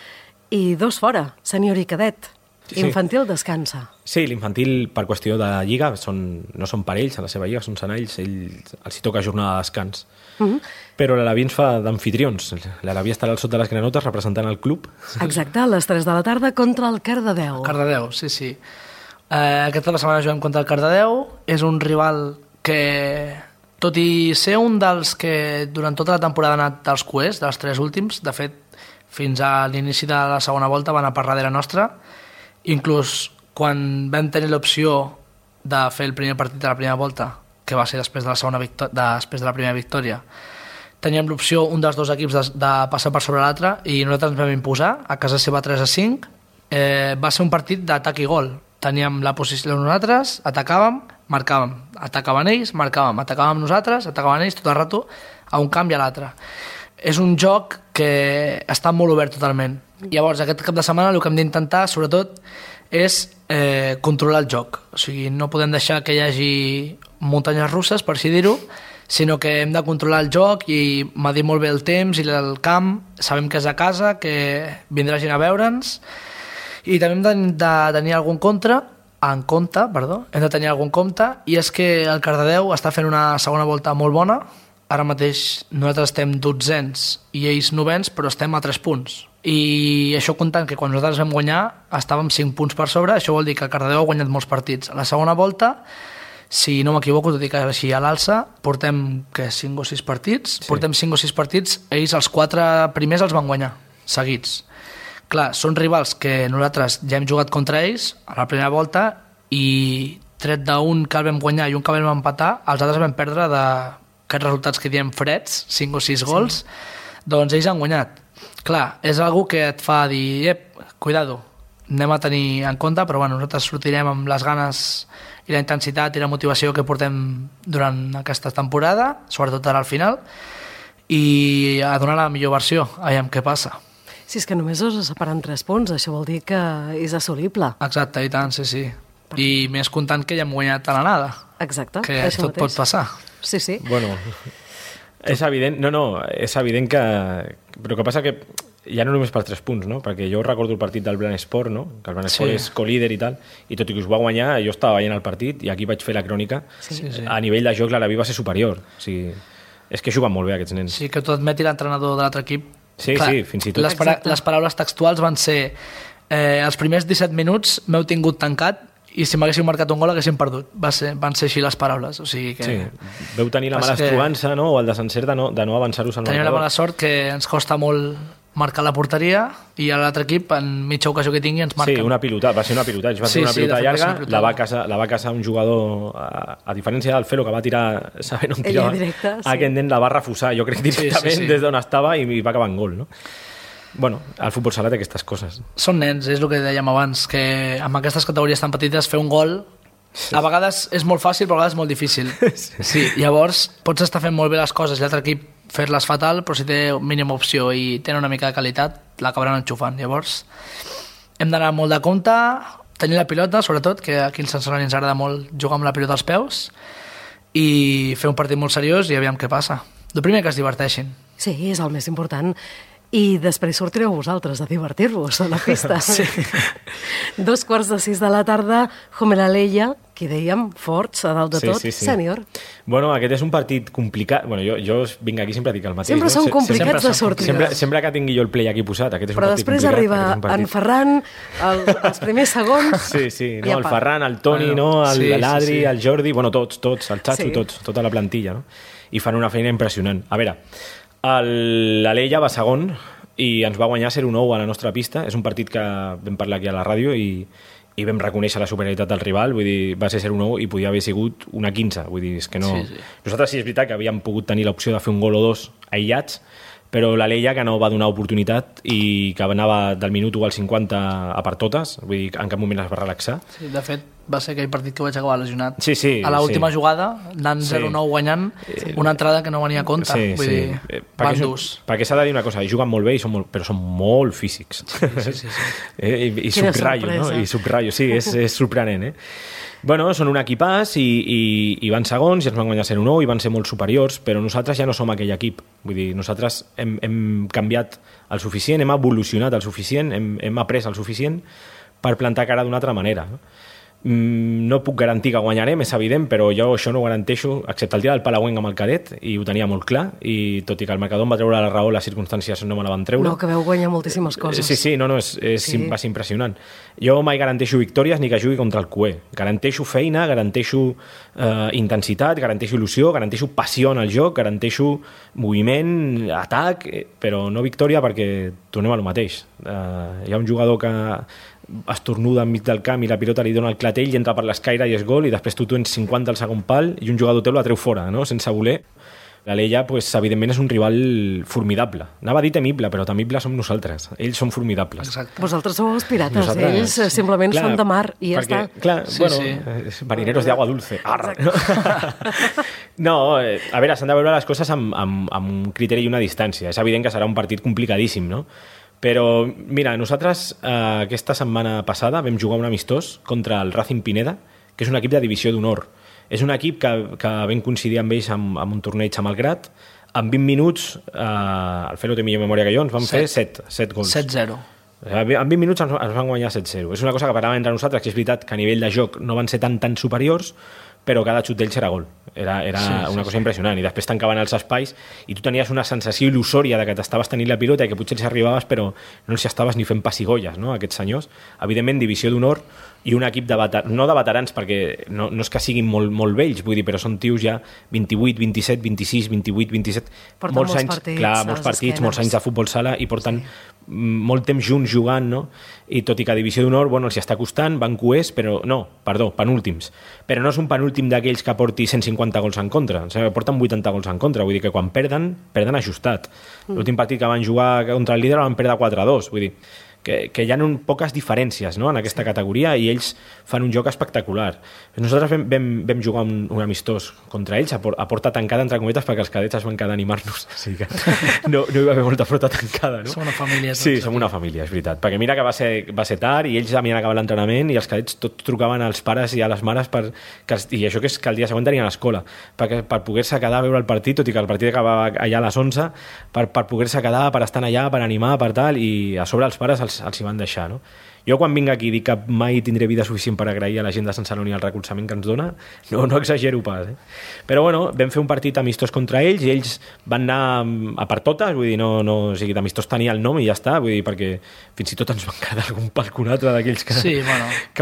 i 2 fora, sènior i cadet. Sí. Infantil descansa. Sí, l'infantil, per qüestió de lliga, no són per ells, a la seva lliga són senalls, els hi toca jornada de descans. Però l'Alaví ens fa d'amfitrions. L'Alaví estarà al sud de les granotes representant el club. Exacte, a les 3 de la tarda contra el Cardedeu. Cardedeu, sí. Aquesta setmana juguem contra el Cardedeu. És un rival que, tot i ser un dels que durant tota la temporada ha anat dels cuers, dels 3 últims, de fet, fins a l'inici de la segona volta van a per darrere nostra. Inclús quan vam tenir l'opció de fer el primer partit de la primera volta, que va ser després de la primera victòria, teníem l'opció, un dels 2 equips, de passar per sobre l'altre, i nosaltres ens vam imposar, a casa seva 3-5. Va ser un partit d'atac i gol. Teníem la posició nosaltres, atacàvem, marcàvem, atacaven ells, marcàvem, atacàvem nosaltres, atacaven ells tot el rato, a un camp i a l'altre. És un joc que està molt obert totalment. Llavors, aquest cap de setmana el que hem d'intentar, sobretot, és controlar el joc. O sigui, no podem deixar que hi hagi muntanyes russes, per així dir-ho, sinó que hem de controlar el joc i medir molt bé el temps i el camp. Sabem que és a casa, que vindrà gent a veure'ns, i també hem de tenir algun compte, i és que el Cardedeu està fent una segona volta molt bona. Ara mateix nosaltres estem 12ens i ells 9ens, però estem a 3 punts. I això comptant que quan nosaltres vam guanyar estàvem 5 punts per sobre, això vol dir que el Cardedeu ha guanyat molts partits. A la segona volta, si no m'equivoco, tot i que així a l'alça, portem 5 o 6 partits. Sí. Portem 5 o 6 partits, ells els 4 primers els van guanyar, seguits. Clar, són rivals que nosaltres ja hem jugat contra ells a la primera volta i tret d'un que el vam guanyar i un que vam empatar, els altres vam perdre d'aquests resultats que diem freds, 5 o 6 gols, doncs ells han guanyat. Clar, és algo que et fa dir, cuidado, anem a tenir en compte, però bueno, nosaltres sortirem amb les ganes i la intensitat i la motivació que portem durant aquesta temporada, sobretot ara al final, i a donar la millor versió, aviam què passa. Si és que només us separen 3 punts, això vol dir que és assolible. Exacte, i tant, sí. I més comptant que ja hem guanyat a l'anada. Exacte, que tot pot passar. Sí. Bueno, és evident, és evident que... Però el que passa que ja no només per 3 punts, no? Perquè jo recordo el partit del Blanesport, no? Que el Blanesport és co-líder i tal, i tot i que us va guanyar, jo estava veient el partit i aquí vaig fer la crònica. A nivell de joc l'Alaví va ser superior. O sigui, és que juguen molt bé aquests nens. Sí, que t'ho admeti l'entrenador de l'altre equip. Sí, clar, sí, fins i tot. Les paraules textuals van ser els primers 17 minuts m'heu tingut tancat i si m'haguéssiu marcat un gol haguéssim perdut. Van ser així les paraules. O sigui que... Sí. Veu tenir la mala estruança, no? O el desencert de no avançar-vos al marcador. Tenim la mala sort que ens costa molt marcar la porteria i l'altre equip en mitja ocasió que tingui ens marquen. Sí, va ser una pilota. Va ser una pilota llarga, la va caçar un jugador, a diferència del Felo, que va tirar sabent on tirava. Aquest nen la va refusar, jo crec directament des d'on estava i va acabar en gol, no? Bueno, el futbol sala té aquestes coses. Són nens, és el que dèiem abans, que amb aquestes categories tan petites fer un gol a vegades és molt fàcil, però a vegades és molt difícil. Sí, llavors pots estar fent molt bé les coses i l'altre equip fer-les fatal, però si té mínima opció i tenen una mica de qualitat, l'acabaran enxufant. Llavors hem d'anar molt de compte, tenir la pilota, sobretot, que aquí al Sant Celoni ens agrada molt jugar amb la pilota als peus i fer un partit molt seriós i aviam què passa. El primer que es diverteixin. Sí, és el més important. I després sortireu vosaltres a divertir-vos a la pista. Sí. 5:45 de la tarda, Homelaleia, que dèiem, forts, a dalt de tot, sènior. Bueno, aquest és un partit complicat. Bueno, jo vinc aquí sempre a dir el mateix. Sempre són complicats de sortides. Sempre que tingui jo el play aquí posat, aquest és un partit complicat. Però després arriba en Ferran, els primers segons... Sí, no, el Ferran, el Toni, l'Adri, el Jordi, bueno, tots, el Chacho, tota la plantilla, no? I fan una feina impressionant. A veure, l'Aleia va segon i ens va guanyar 0-9 a la nostra pista. És un partit que vam parlar aquí a la ràdio i vam reconèixer la superioritat del rival. Vull dir, va ser 0-9 i podia haver sigut una 15. Vull dir, és que no... Nosaltres sí és veritat que havíem pogut tenir l'opció de fer un gol o dos aïllats, però l'Aleia que no va donar oportunitat i que anava del minut 1 al 50 a per totes, vull dir, en cap moment es va relaxar. Sí, de fet, va ser aquell partit que vaig acabar lesionat. Sí, a l'última jugada, anant 0-9 guanyant, una entrada que no venia a compte. Vull dir, van durs. Perquè s'ha de dir una cosa, juguen molt bé, però són molt físics. Sí. I subratllo, no? I subratllo, sí, és sorprenent, Bueno, són un equipàs i van segons i ens van guanyar 0-9 i van ser molt superiors, però nosaltres ja no som aquell equip. Vull dir, nosaltres hem canviat el suficient, hem evolucionat el suficient, hem après el suficient per plantar cara d'una altra manera. No puc garantir que guanyarem, és evident, però jo això no ho garanteixo, excepte el dia del Palauenc amb el cadet, i ho tenia molt clar, i tot i que el marcador em va treure la raó, les circumstàncies no me la van treure. No, que veu guanyar moltíssimes coses. Sí, va ser impressionant. Jo mai garanteixo victòries ni que jugui contra el QE. Garanteixo feina, garanteixo intensitat, garanteixo il·lusió, garanteixo passió en el joc, garanteixo moviment, atac, però no victòria perquè tornem a lo mateix. Hi ha un jugador que estornuda enmig del camp i la pilota li dona el clatell i entra per l'escaire i és gol i després tu tens 50 al segon pal i un jugador teu la treu fora, no? Sense voler. L'Aleia, pues, evidentment, és un rival formidable. Anava a dir temible, però temible som nosaltres. Ells són formidables. Exacte. Vosaltres sou els pirates, ells simplement són de mar i ja està. Clar, marineros de agua dulce. No, a veure, s'han de veure les coses amb un criteri i una distància. És evident que serà un partit complicadíssim, no? Però, mira, nosaltres aquesta setmana passada vam jugar un amistós contra el Racing Pineda, que és un equip de divisió d'honor. És un equip que vam coincidir amb ells amb un torneig a Malgrat. En 20 minuts, el Felo té millor memòria que jo, ens van fer 7 gols. 7-0. En 20 minuts ens van guanyar 7-0. És una cosa que parlàvem entre nosaltres, que és veritat que a nivell de joc no van ser tan superiors, però cada xut d'ells era gol. Era una cosa impressionant. I després tancaven els espais i tu tenies una sensació il·lusòria de que t'estaves tenint la pilota i que potser els arribaves, però no els estaves ni fent pessigolles, no?, aquests senyors. Evidentment, divisió d'honor i un equip no de veterans, perquè no és que siguin molt vells, vull dir, però són tios ja 28, 27, 26, 28, 27... Porten molts partits, molts anys de futbol sala i porten molt temps junts jugant, no? I tot i que a divisió d'honor, els hi està costant, van QEs, però penúltims. Però no és un penúltim d'aquells que porti 150 gols en contra, porten 80 gols en contra, vull dir que quan perden ajustat. L'últim partit que van jugar contra el líder van perdre 4-2, vull dir que hi ha poques diferències, no?, en aquesta categoria, i ells fan un joc espectacular. Nosaltres vam jugar un amistós contra ells a porta tancada, entre cometes, perquè els cadets es van quedar a animar-nos, o sigui que no hi va haver molta porta tancada, no? Som una família. Sí, som una família, és veritat, perquè mira que va ser tard i ells havien acabat l'entrenament i els cadets tots trucaven als pares i a les mares i això que és que el dia següent tenien escola, per poder-se quedar a veure el partit, tot i que el partit acabava allà a les 11, per poder-se quedar, per estar allà, per animar, per tal, i a sobre els pares els hi van deixar, no? Jo quan vinc aquí dic que mai tindré vida suficient per agrair a la gent de Sant Celoni el recolzament que ens dona, no exagero pas, Però bueno, vam fer un partit amistós contra ells i ells van anar a per totes, vull dir, o sigui, d'amistós tenia el nom i ja està, vull dir, perquè fins i tot ens van quedar algun palconatre d'aquells que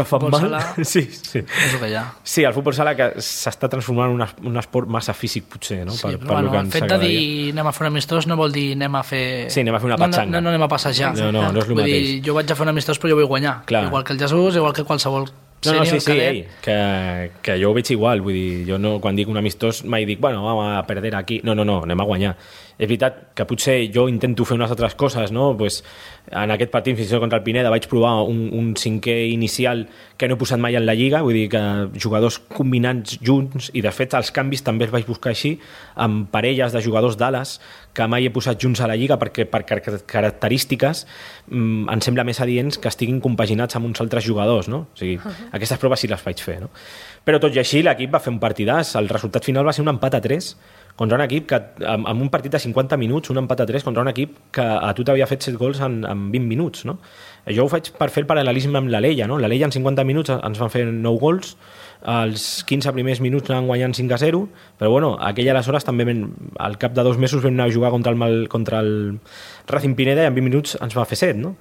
fan mal. Sala, sí. És el que hi ha. Sí, el futbol sala que s'està transformant en un esport massa físic, potser, no? Sí, però bueno, el fet de dir anem a fer un amistós no vol dir anem a fer... Sí, anem a fer una patxanga. No anem a passejar. No és el mateix. Dir, jo vaig a fer un amistós però jo vull guanyar. Clar. Igual que el Jesús, igual que qualsevol sènior, cadet. Que jo ho veig igual, vull dir, jo no, quan dic un amistós mai dic, bueno, vamos a perder aquí. No, anem a guanyar. És veritat que potser jo intento fer unes altres coses, no? Pues, en aquest partit, fins i tot contra el Pineda, vaig provar un cinquè inicial que no he posat mai en la Lliga, vull dir que jugadors combinats junts, i de fet els canvis també els vaig buscar així, amb parelles de jugadors d'ales que mai he posat junts a la Lliga perquè per característiques em sembla més adients que estiguin compaginats amb uns altres jugadors, no? O sigui, aquestes proves sí les vaig fer, no? Però tot i així l'equip va fer un partidàs, el resultat final va ser un empat a 3 contra un equip que, amb un partit de 50 minuts, un empat a 3 contra un equip que a tu t'havia fet 7 gols en 20 minuts, no? Jo ho faig per fer el paral·lelisme amb l'Alella, no? L'Alella en 50 minuts ens van fer 9 gols, els 15 primers minuts anaven guanyant 5-0, però bueno, aquell aleshores també al cap de 2 mesos vam anar a jugar contra el Racing Pineda i en 20 minuts ens va fer 7, no?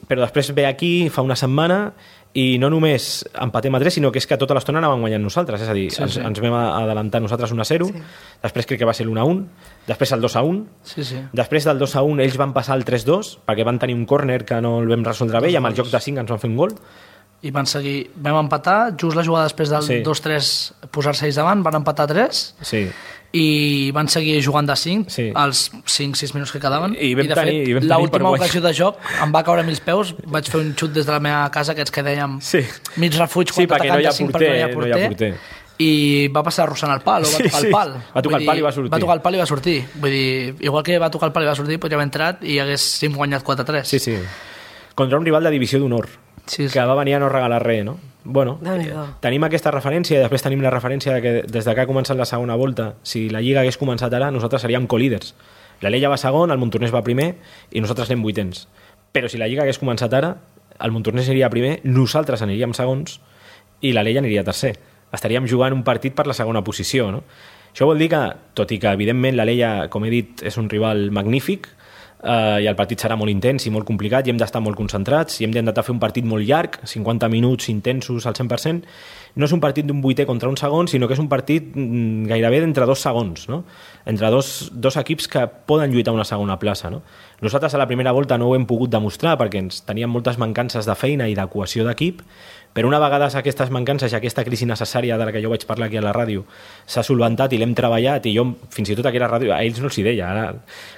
Però després ve aquí, fa una setmana, i no només empatem a 3, sinó que és que tota l'estona anàvem guanyant nosaltres, és a dir, ens vam adelantar nosaltres 1-0, després crec que va ser l'1-1, després el 2-1, després del 2-1 ells van passar el 3-2, perquè van tenir un córner que no el vam resoldre bé, i amb el joc de 5 ens van fer un gol. I van seguir, vam empatar, just la jugada després del 2-3 posar-se ells davant, van empatar 3, i van seguir jugant de 5 als 5-6 minuts que quedaven, i de fet l'última ocasió de joc em va caure a mils peus, vaig fer un xut des de la meva casa, aquests que dèiem mig refuig quan t'atacant de 5 perquè no hi ha porter, i va passar arrossant el pal, o va tocar el pal. Va tocar el pal i va sortir. Va tocar el pal i va sortir. Vull dir, igual que va tocar el pal i va sortir, podria haver entrat i haguéssim guanyat 4-3. Sí. Contra un rival de divisió d'honor, que va venir a no regalar res, no? Bueno, tenim aquesta referència i després tenim la referència que des que ha començat la segona volta, si la Lliga hagués començat ara, nosaltres seríem co-líders. L'Alella va segon, el Montornès va primer i nosaltres anem vuitens. Però si la Lliga hagués començat ara, el Montornès aniria primer, nosaltres aniríem segons i l'Alella aniria tercer. Estaríem jugant un partit per la segona posició, no? Això vol dir que, tot i que evidentment l'Alella, com he dit, és un rival magnífic, i el partit serà molt intens i molt complicat i hem d'estar molt concentrats i hem d'intentar fer un partit molt llarg, 50 minuts intensos al 100%, no és un partit d'un vuitè contra un segon, sinó que és un partit gairebé d'entre 2 segons, no? Entre dos equips que poden lluitar una segona plaça, no? Nosaltres a la primera volta no ho hem pogut demostrar perquè teníem moltes mancances de feina i de cohesió d'equip, però una vegada aquestes mancances i aquesta crisi necessària de la que jo vaig parlar aquí a la ràdio s'ha solventat i l'hem treballat, i jo fins i tot aquí a la ràdio, a ells no els hi deia ara,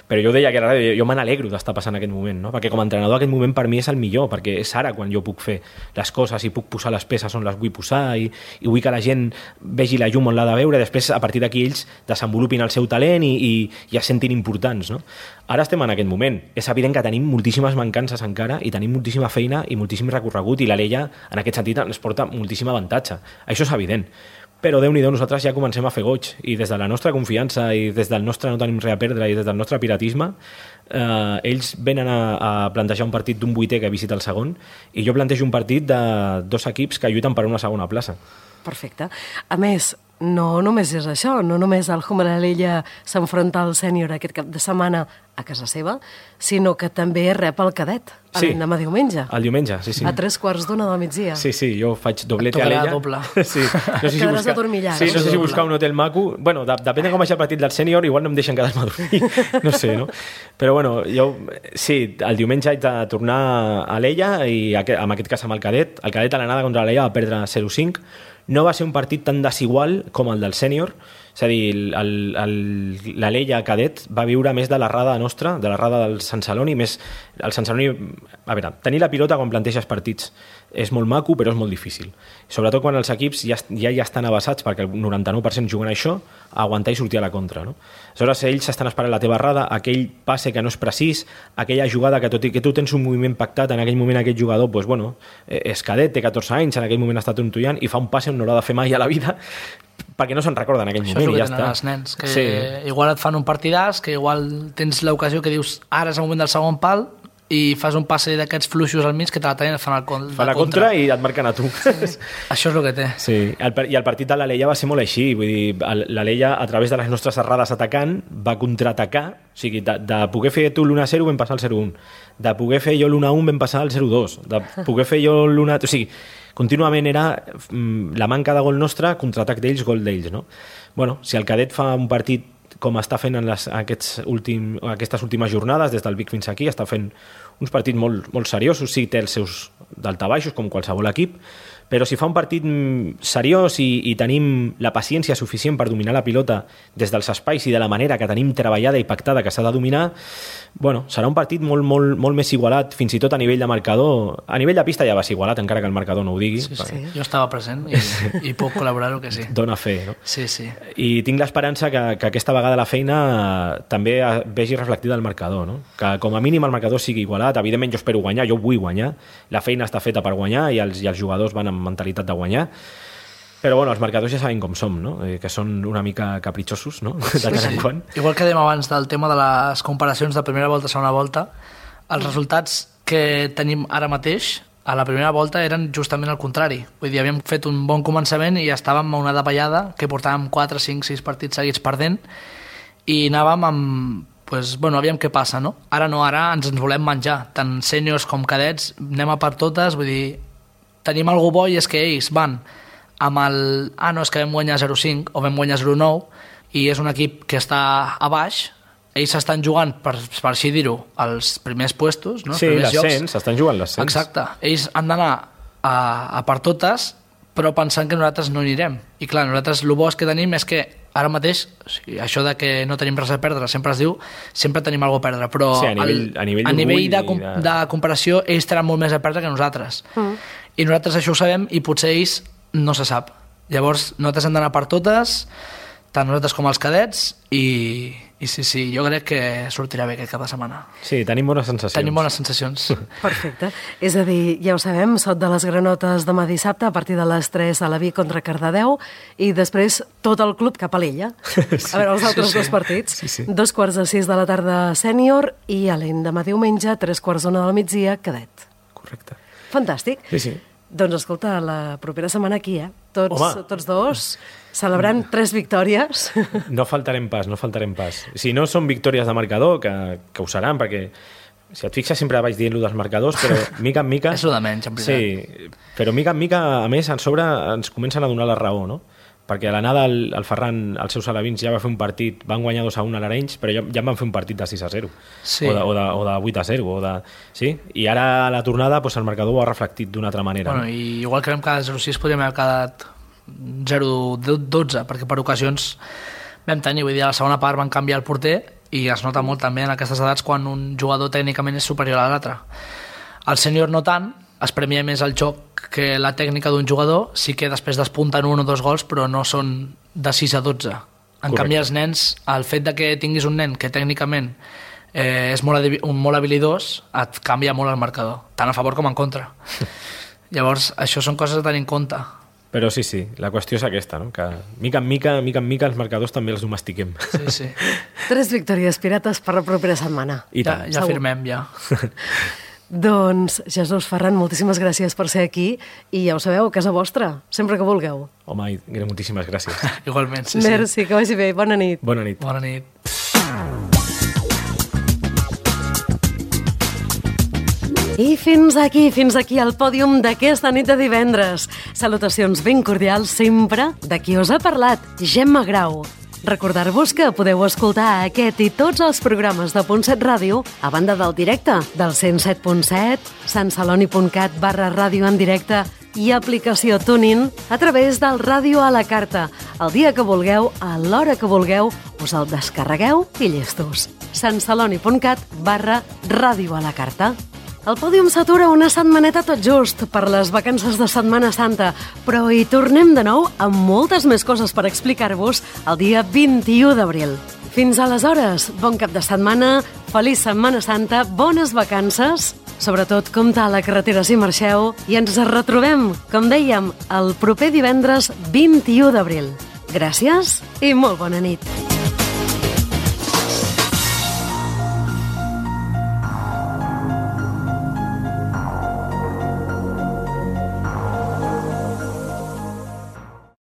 però jo deia que a la ràdio, jo me n'alegro d'estar passant aquest moment, no? Perquè com a entrenador aquest moment per mi és el millor, perquè és ara quan jo puc fer les coses i puc posar les peces on les vull posar i vull que la gent vegi la llum on l'ha de veure, després a partir d'aquí ells desenvolupin el seu talent i es sentin importants, no? Ara estem en aquest moment. És evident que tenim moltíssimes mancances encara i tenim moltíssima feina i moltíssim recorregut, i l'Alella en aquest sentit ens porta moltíssim avantatge. Això és evident. Però Déu-n'hi-do, nosaltres ja comencem a fer goig, i des de la nostra confiança i des del nostre no tenim res a perdre i des del nostre piratisme, ells venen a plantejar un partit d'un vuitè que visita el segon, i jo plantejo un partit de 2 equips que lluiten per una segona plaça. Perfecte. A més, no només és això, no només el Humber Alella s'enfronta al sènior aquest cap de setmana a casa seva, sinó que també rep el cadet l'endemà diumenge. El diumenge, sí. A 3:15 del migdia. Sí, jo faig doblete a Alella. Doble. Sí. No sé si quedaràs adormillat. Sí, no sé si buscar un hotel maco. Bueno, depèn de com vagi el partit del sènior, igual no em deixen quedar-me a dormir. No sé, no? Però bueno, jo, sí, el diumenge haig de tornar a Alella i en aquest cas amb el cadet. El cadet a l'anada contra l'Alella va perdre 0-5. no va ser un partit tan desigual com el del sènior, és a dir, l'Alella cadet va viure més de l'errada nostra, de l'errada del Sant Celoni, més el Sant Celoni, a veure, tenir la pilota quan planteges partits és molt maco, però és molt difícil. Sobretot quan els equips ja estan avançats, perquè el 99% juguen a això, a aguantar i sortir a la contra. No? Aleshores, ells estan esperant la teva errada, aquell passe que no és precís, aquella jugada que tot i que tu tens un moviment pactat, en aquell moment aquest jugador, doncs, bueno, és cadet, té 14 anys, en aquell moment està trontollant i fa un passe on no l'ha de fer mai a la vida, perquè no se'n recorda en aquell moment i ja està. Això és el que tenen els nens, que igual et fan un partidàs, que igual tens l'ocasió que dius ara és el moment del segon pal i fas un passe d'aquests fluixos al mig que te la tenen, et fan la contra i et marquen a tu. Sí. Això és el que té. Sí. I el partit de l'Alella va ser molt així, vull dir, l'Alella a través de les nostres errades atacant va contraatacar, o sigui, de poder fer tu l'1-0 vam passar al 0-1, de poder fer jo l'1-1 vam passar al 0-2, de poder fer jo l'1... O sigui, contínuament era la manca de gol nostra, contraatac d'ells, gol d'ells, no? Bueno, si el cadet fa un partit com està fent en aquestes últimes jornades, des del Vic fins aquí, està fent uns partits molt, molt seriosos, sí, té els seus daltabaixos, com qualsevol equip, però si fa un partit seriós i tenim la paciència suficient per dominar la pilota des dels espais i de la manera que tenim treballada i pactada que s'ha de dominar, bueno, serà un partit molt, molt, molt més igualat, fins i tot a nivell de marcador. A nivell de pista ja va ser igualat, encara que el marcador no ho digui. Sí, sí. Jo estava present i puc col·laborar-ho que sí. Dóna fe, no? Sí, sí. I tinc l'esperança que aquesta vegada la feina també vegi reflectida al marcador, no? Que com a mínim el marcador sigui igualat. Evidentment jo espero guanyar, jo vull guanyar, la feina està feta per guanyar i els jugadors van amb mentalitat de guanyar, però bueno, els marcadors ja saben com som, no? Que són una mica capritxosos, no? De tant en quant. Igual que dèiem abans del tema de les comparacions de primera volta a segona volta, els resultats que tenim ara mateix a la primera volta eren justament el contrari. Vull dir, havíem fet un bon començament i estàvem a una davallada que portàvem 4, 5, 6 partits seguits perdent i anàvem amb... Pues, bueno, aviam què passa, no? Ara no, ara ens volem menjar. Tant sèniors com cadets, anem a per totes, vull dir, tenim algú bo i és que ells van amb el... Ah, no, és que vam guanyar 0-5 o vam guanyar 0-9 i és un equip que està a baix, ells s'estan jugant, per així dir-ho, als primers puestos, no? Sí, l'ascens, s'estan jugant l'ascens. Exacte. Ells han d'anar a per totes, però pensant que nosaltres no anirem. I clar, nosaltres el bo que tenim és que ara mateix, o sigui, això de que no tenim res a perdre, sempre es diu, sempre tenim alguna cosa a perdre, però sí, a nivell de comparació ells tenen molt més a perdre que nosaltres. I nosaltres això ho sabem i potser ells no se sap. Llavors, nosaltres hem d'anar per totes, tant nosaltres com els cadets, i sí, jo crec que sortirà bé aquest cap de setmana. Sí, tenim bones sensacions. Tenim bones sensacions. Perfecte. És a dir, ja ho sabem, sot de les granotes demà dissabte a partir de les 3 a la Vic contra Cardedeu i després tot el club cap a l'Ella. Sí. A veure, els altres dos partits. Sí. 5:45 de la tarda sènior i a l'endemà diumenge 3:45 del migdia cadet. Correcte. Fantàstic. Sí. Doncs escolta, la propera setmana aquí, Tots dos celebrant 3 victòries. No faltarem pas. Si no són victòries de marcador, que ho seran, perquè si et fixes sempre vaig dient-lo dels marcadors, però mica en mica... És el de menys, en veritat. Sí, però mica en mica, a més, a sobre ens comencen a donar la raó, no? Perquè a l'anada el Ferran, els seus alevins, ja va fer un partit, van guanyar 2-1 a l'Arenys, però ja en van fer un partit de 6-0, sí. o de 8-0, sí? I ara a la tornada el marcador ho ha reflectit d'una altra manera. Bueno, i igual que vam quedar 0-6, podríem haver quedat 0-12, perquè per ocasions vam tenir, vull dir, a la segona part van canviar el porter i es nota molt també en aquestes edats quan un jugador tècnicament és superior a l'altre. El sènior no tant, es premia més el joc que la tècnica d'un jugador, sí que després despunten 1 o 2 gols, però no són de 6-12. En canvi, els nens, el fet de que tinguis un nen que tècnicament és molt habilidós, et canvia molt el marcador, tant a favor com en contra. Llavors, això són coses a tenir en compte. Però sí, la qüestió és aquesta, no? Que mica en mica els marcadors també els domestiquem. Sí. 3 victòries pirates per la propera setmana. Ja firmem, ja. Doncs, Jesús Ferran, moltíssimes gràcies per ser aquí i ja ho sabeu, a casa vostra, sempre que vulgueu. Home, moltíssimes gràcies. Igualment, sí. Merci, que vagi bé. Bona nit. Bona nit. Bona nit. I fins aquí el pòdium d'aquesta nit de divendres. Salutacions ben cordials sempre de qui us ha parlat, Gemma Grau. Recordar-vos que podeu escoltar aquest i tots els programes de Punt 7 Ràdio a banda del directe del 107.7, santceloni.cat/ràdio en directe i aplicació TuneIn a través del Ràdio a la Carta. El dia que vulgueu, a l'hora que vulgueu, us el descarregueu i llestos. santceloni.cat/Ràdio a la Carta. El pòdium s'atura una setmaneta tot just per les vacances de Setmana Santa, però hi tornem de nou amb moltes més coses per explicar-vos el dia 21 d'abril. Fins aleshores, bon cap de setmana, feliç Setmana Santa, bones vacances, sobretot compte a la carretera si marxeu, i ens retrobem, com dèiem, el proper divendres 21 d'abril. Gràcies i molt bona nit.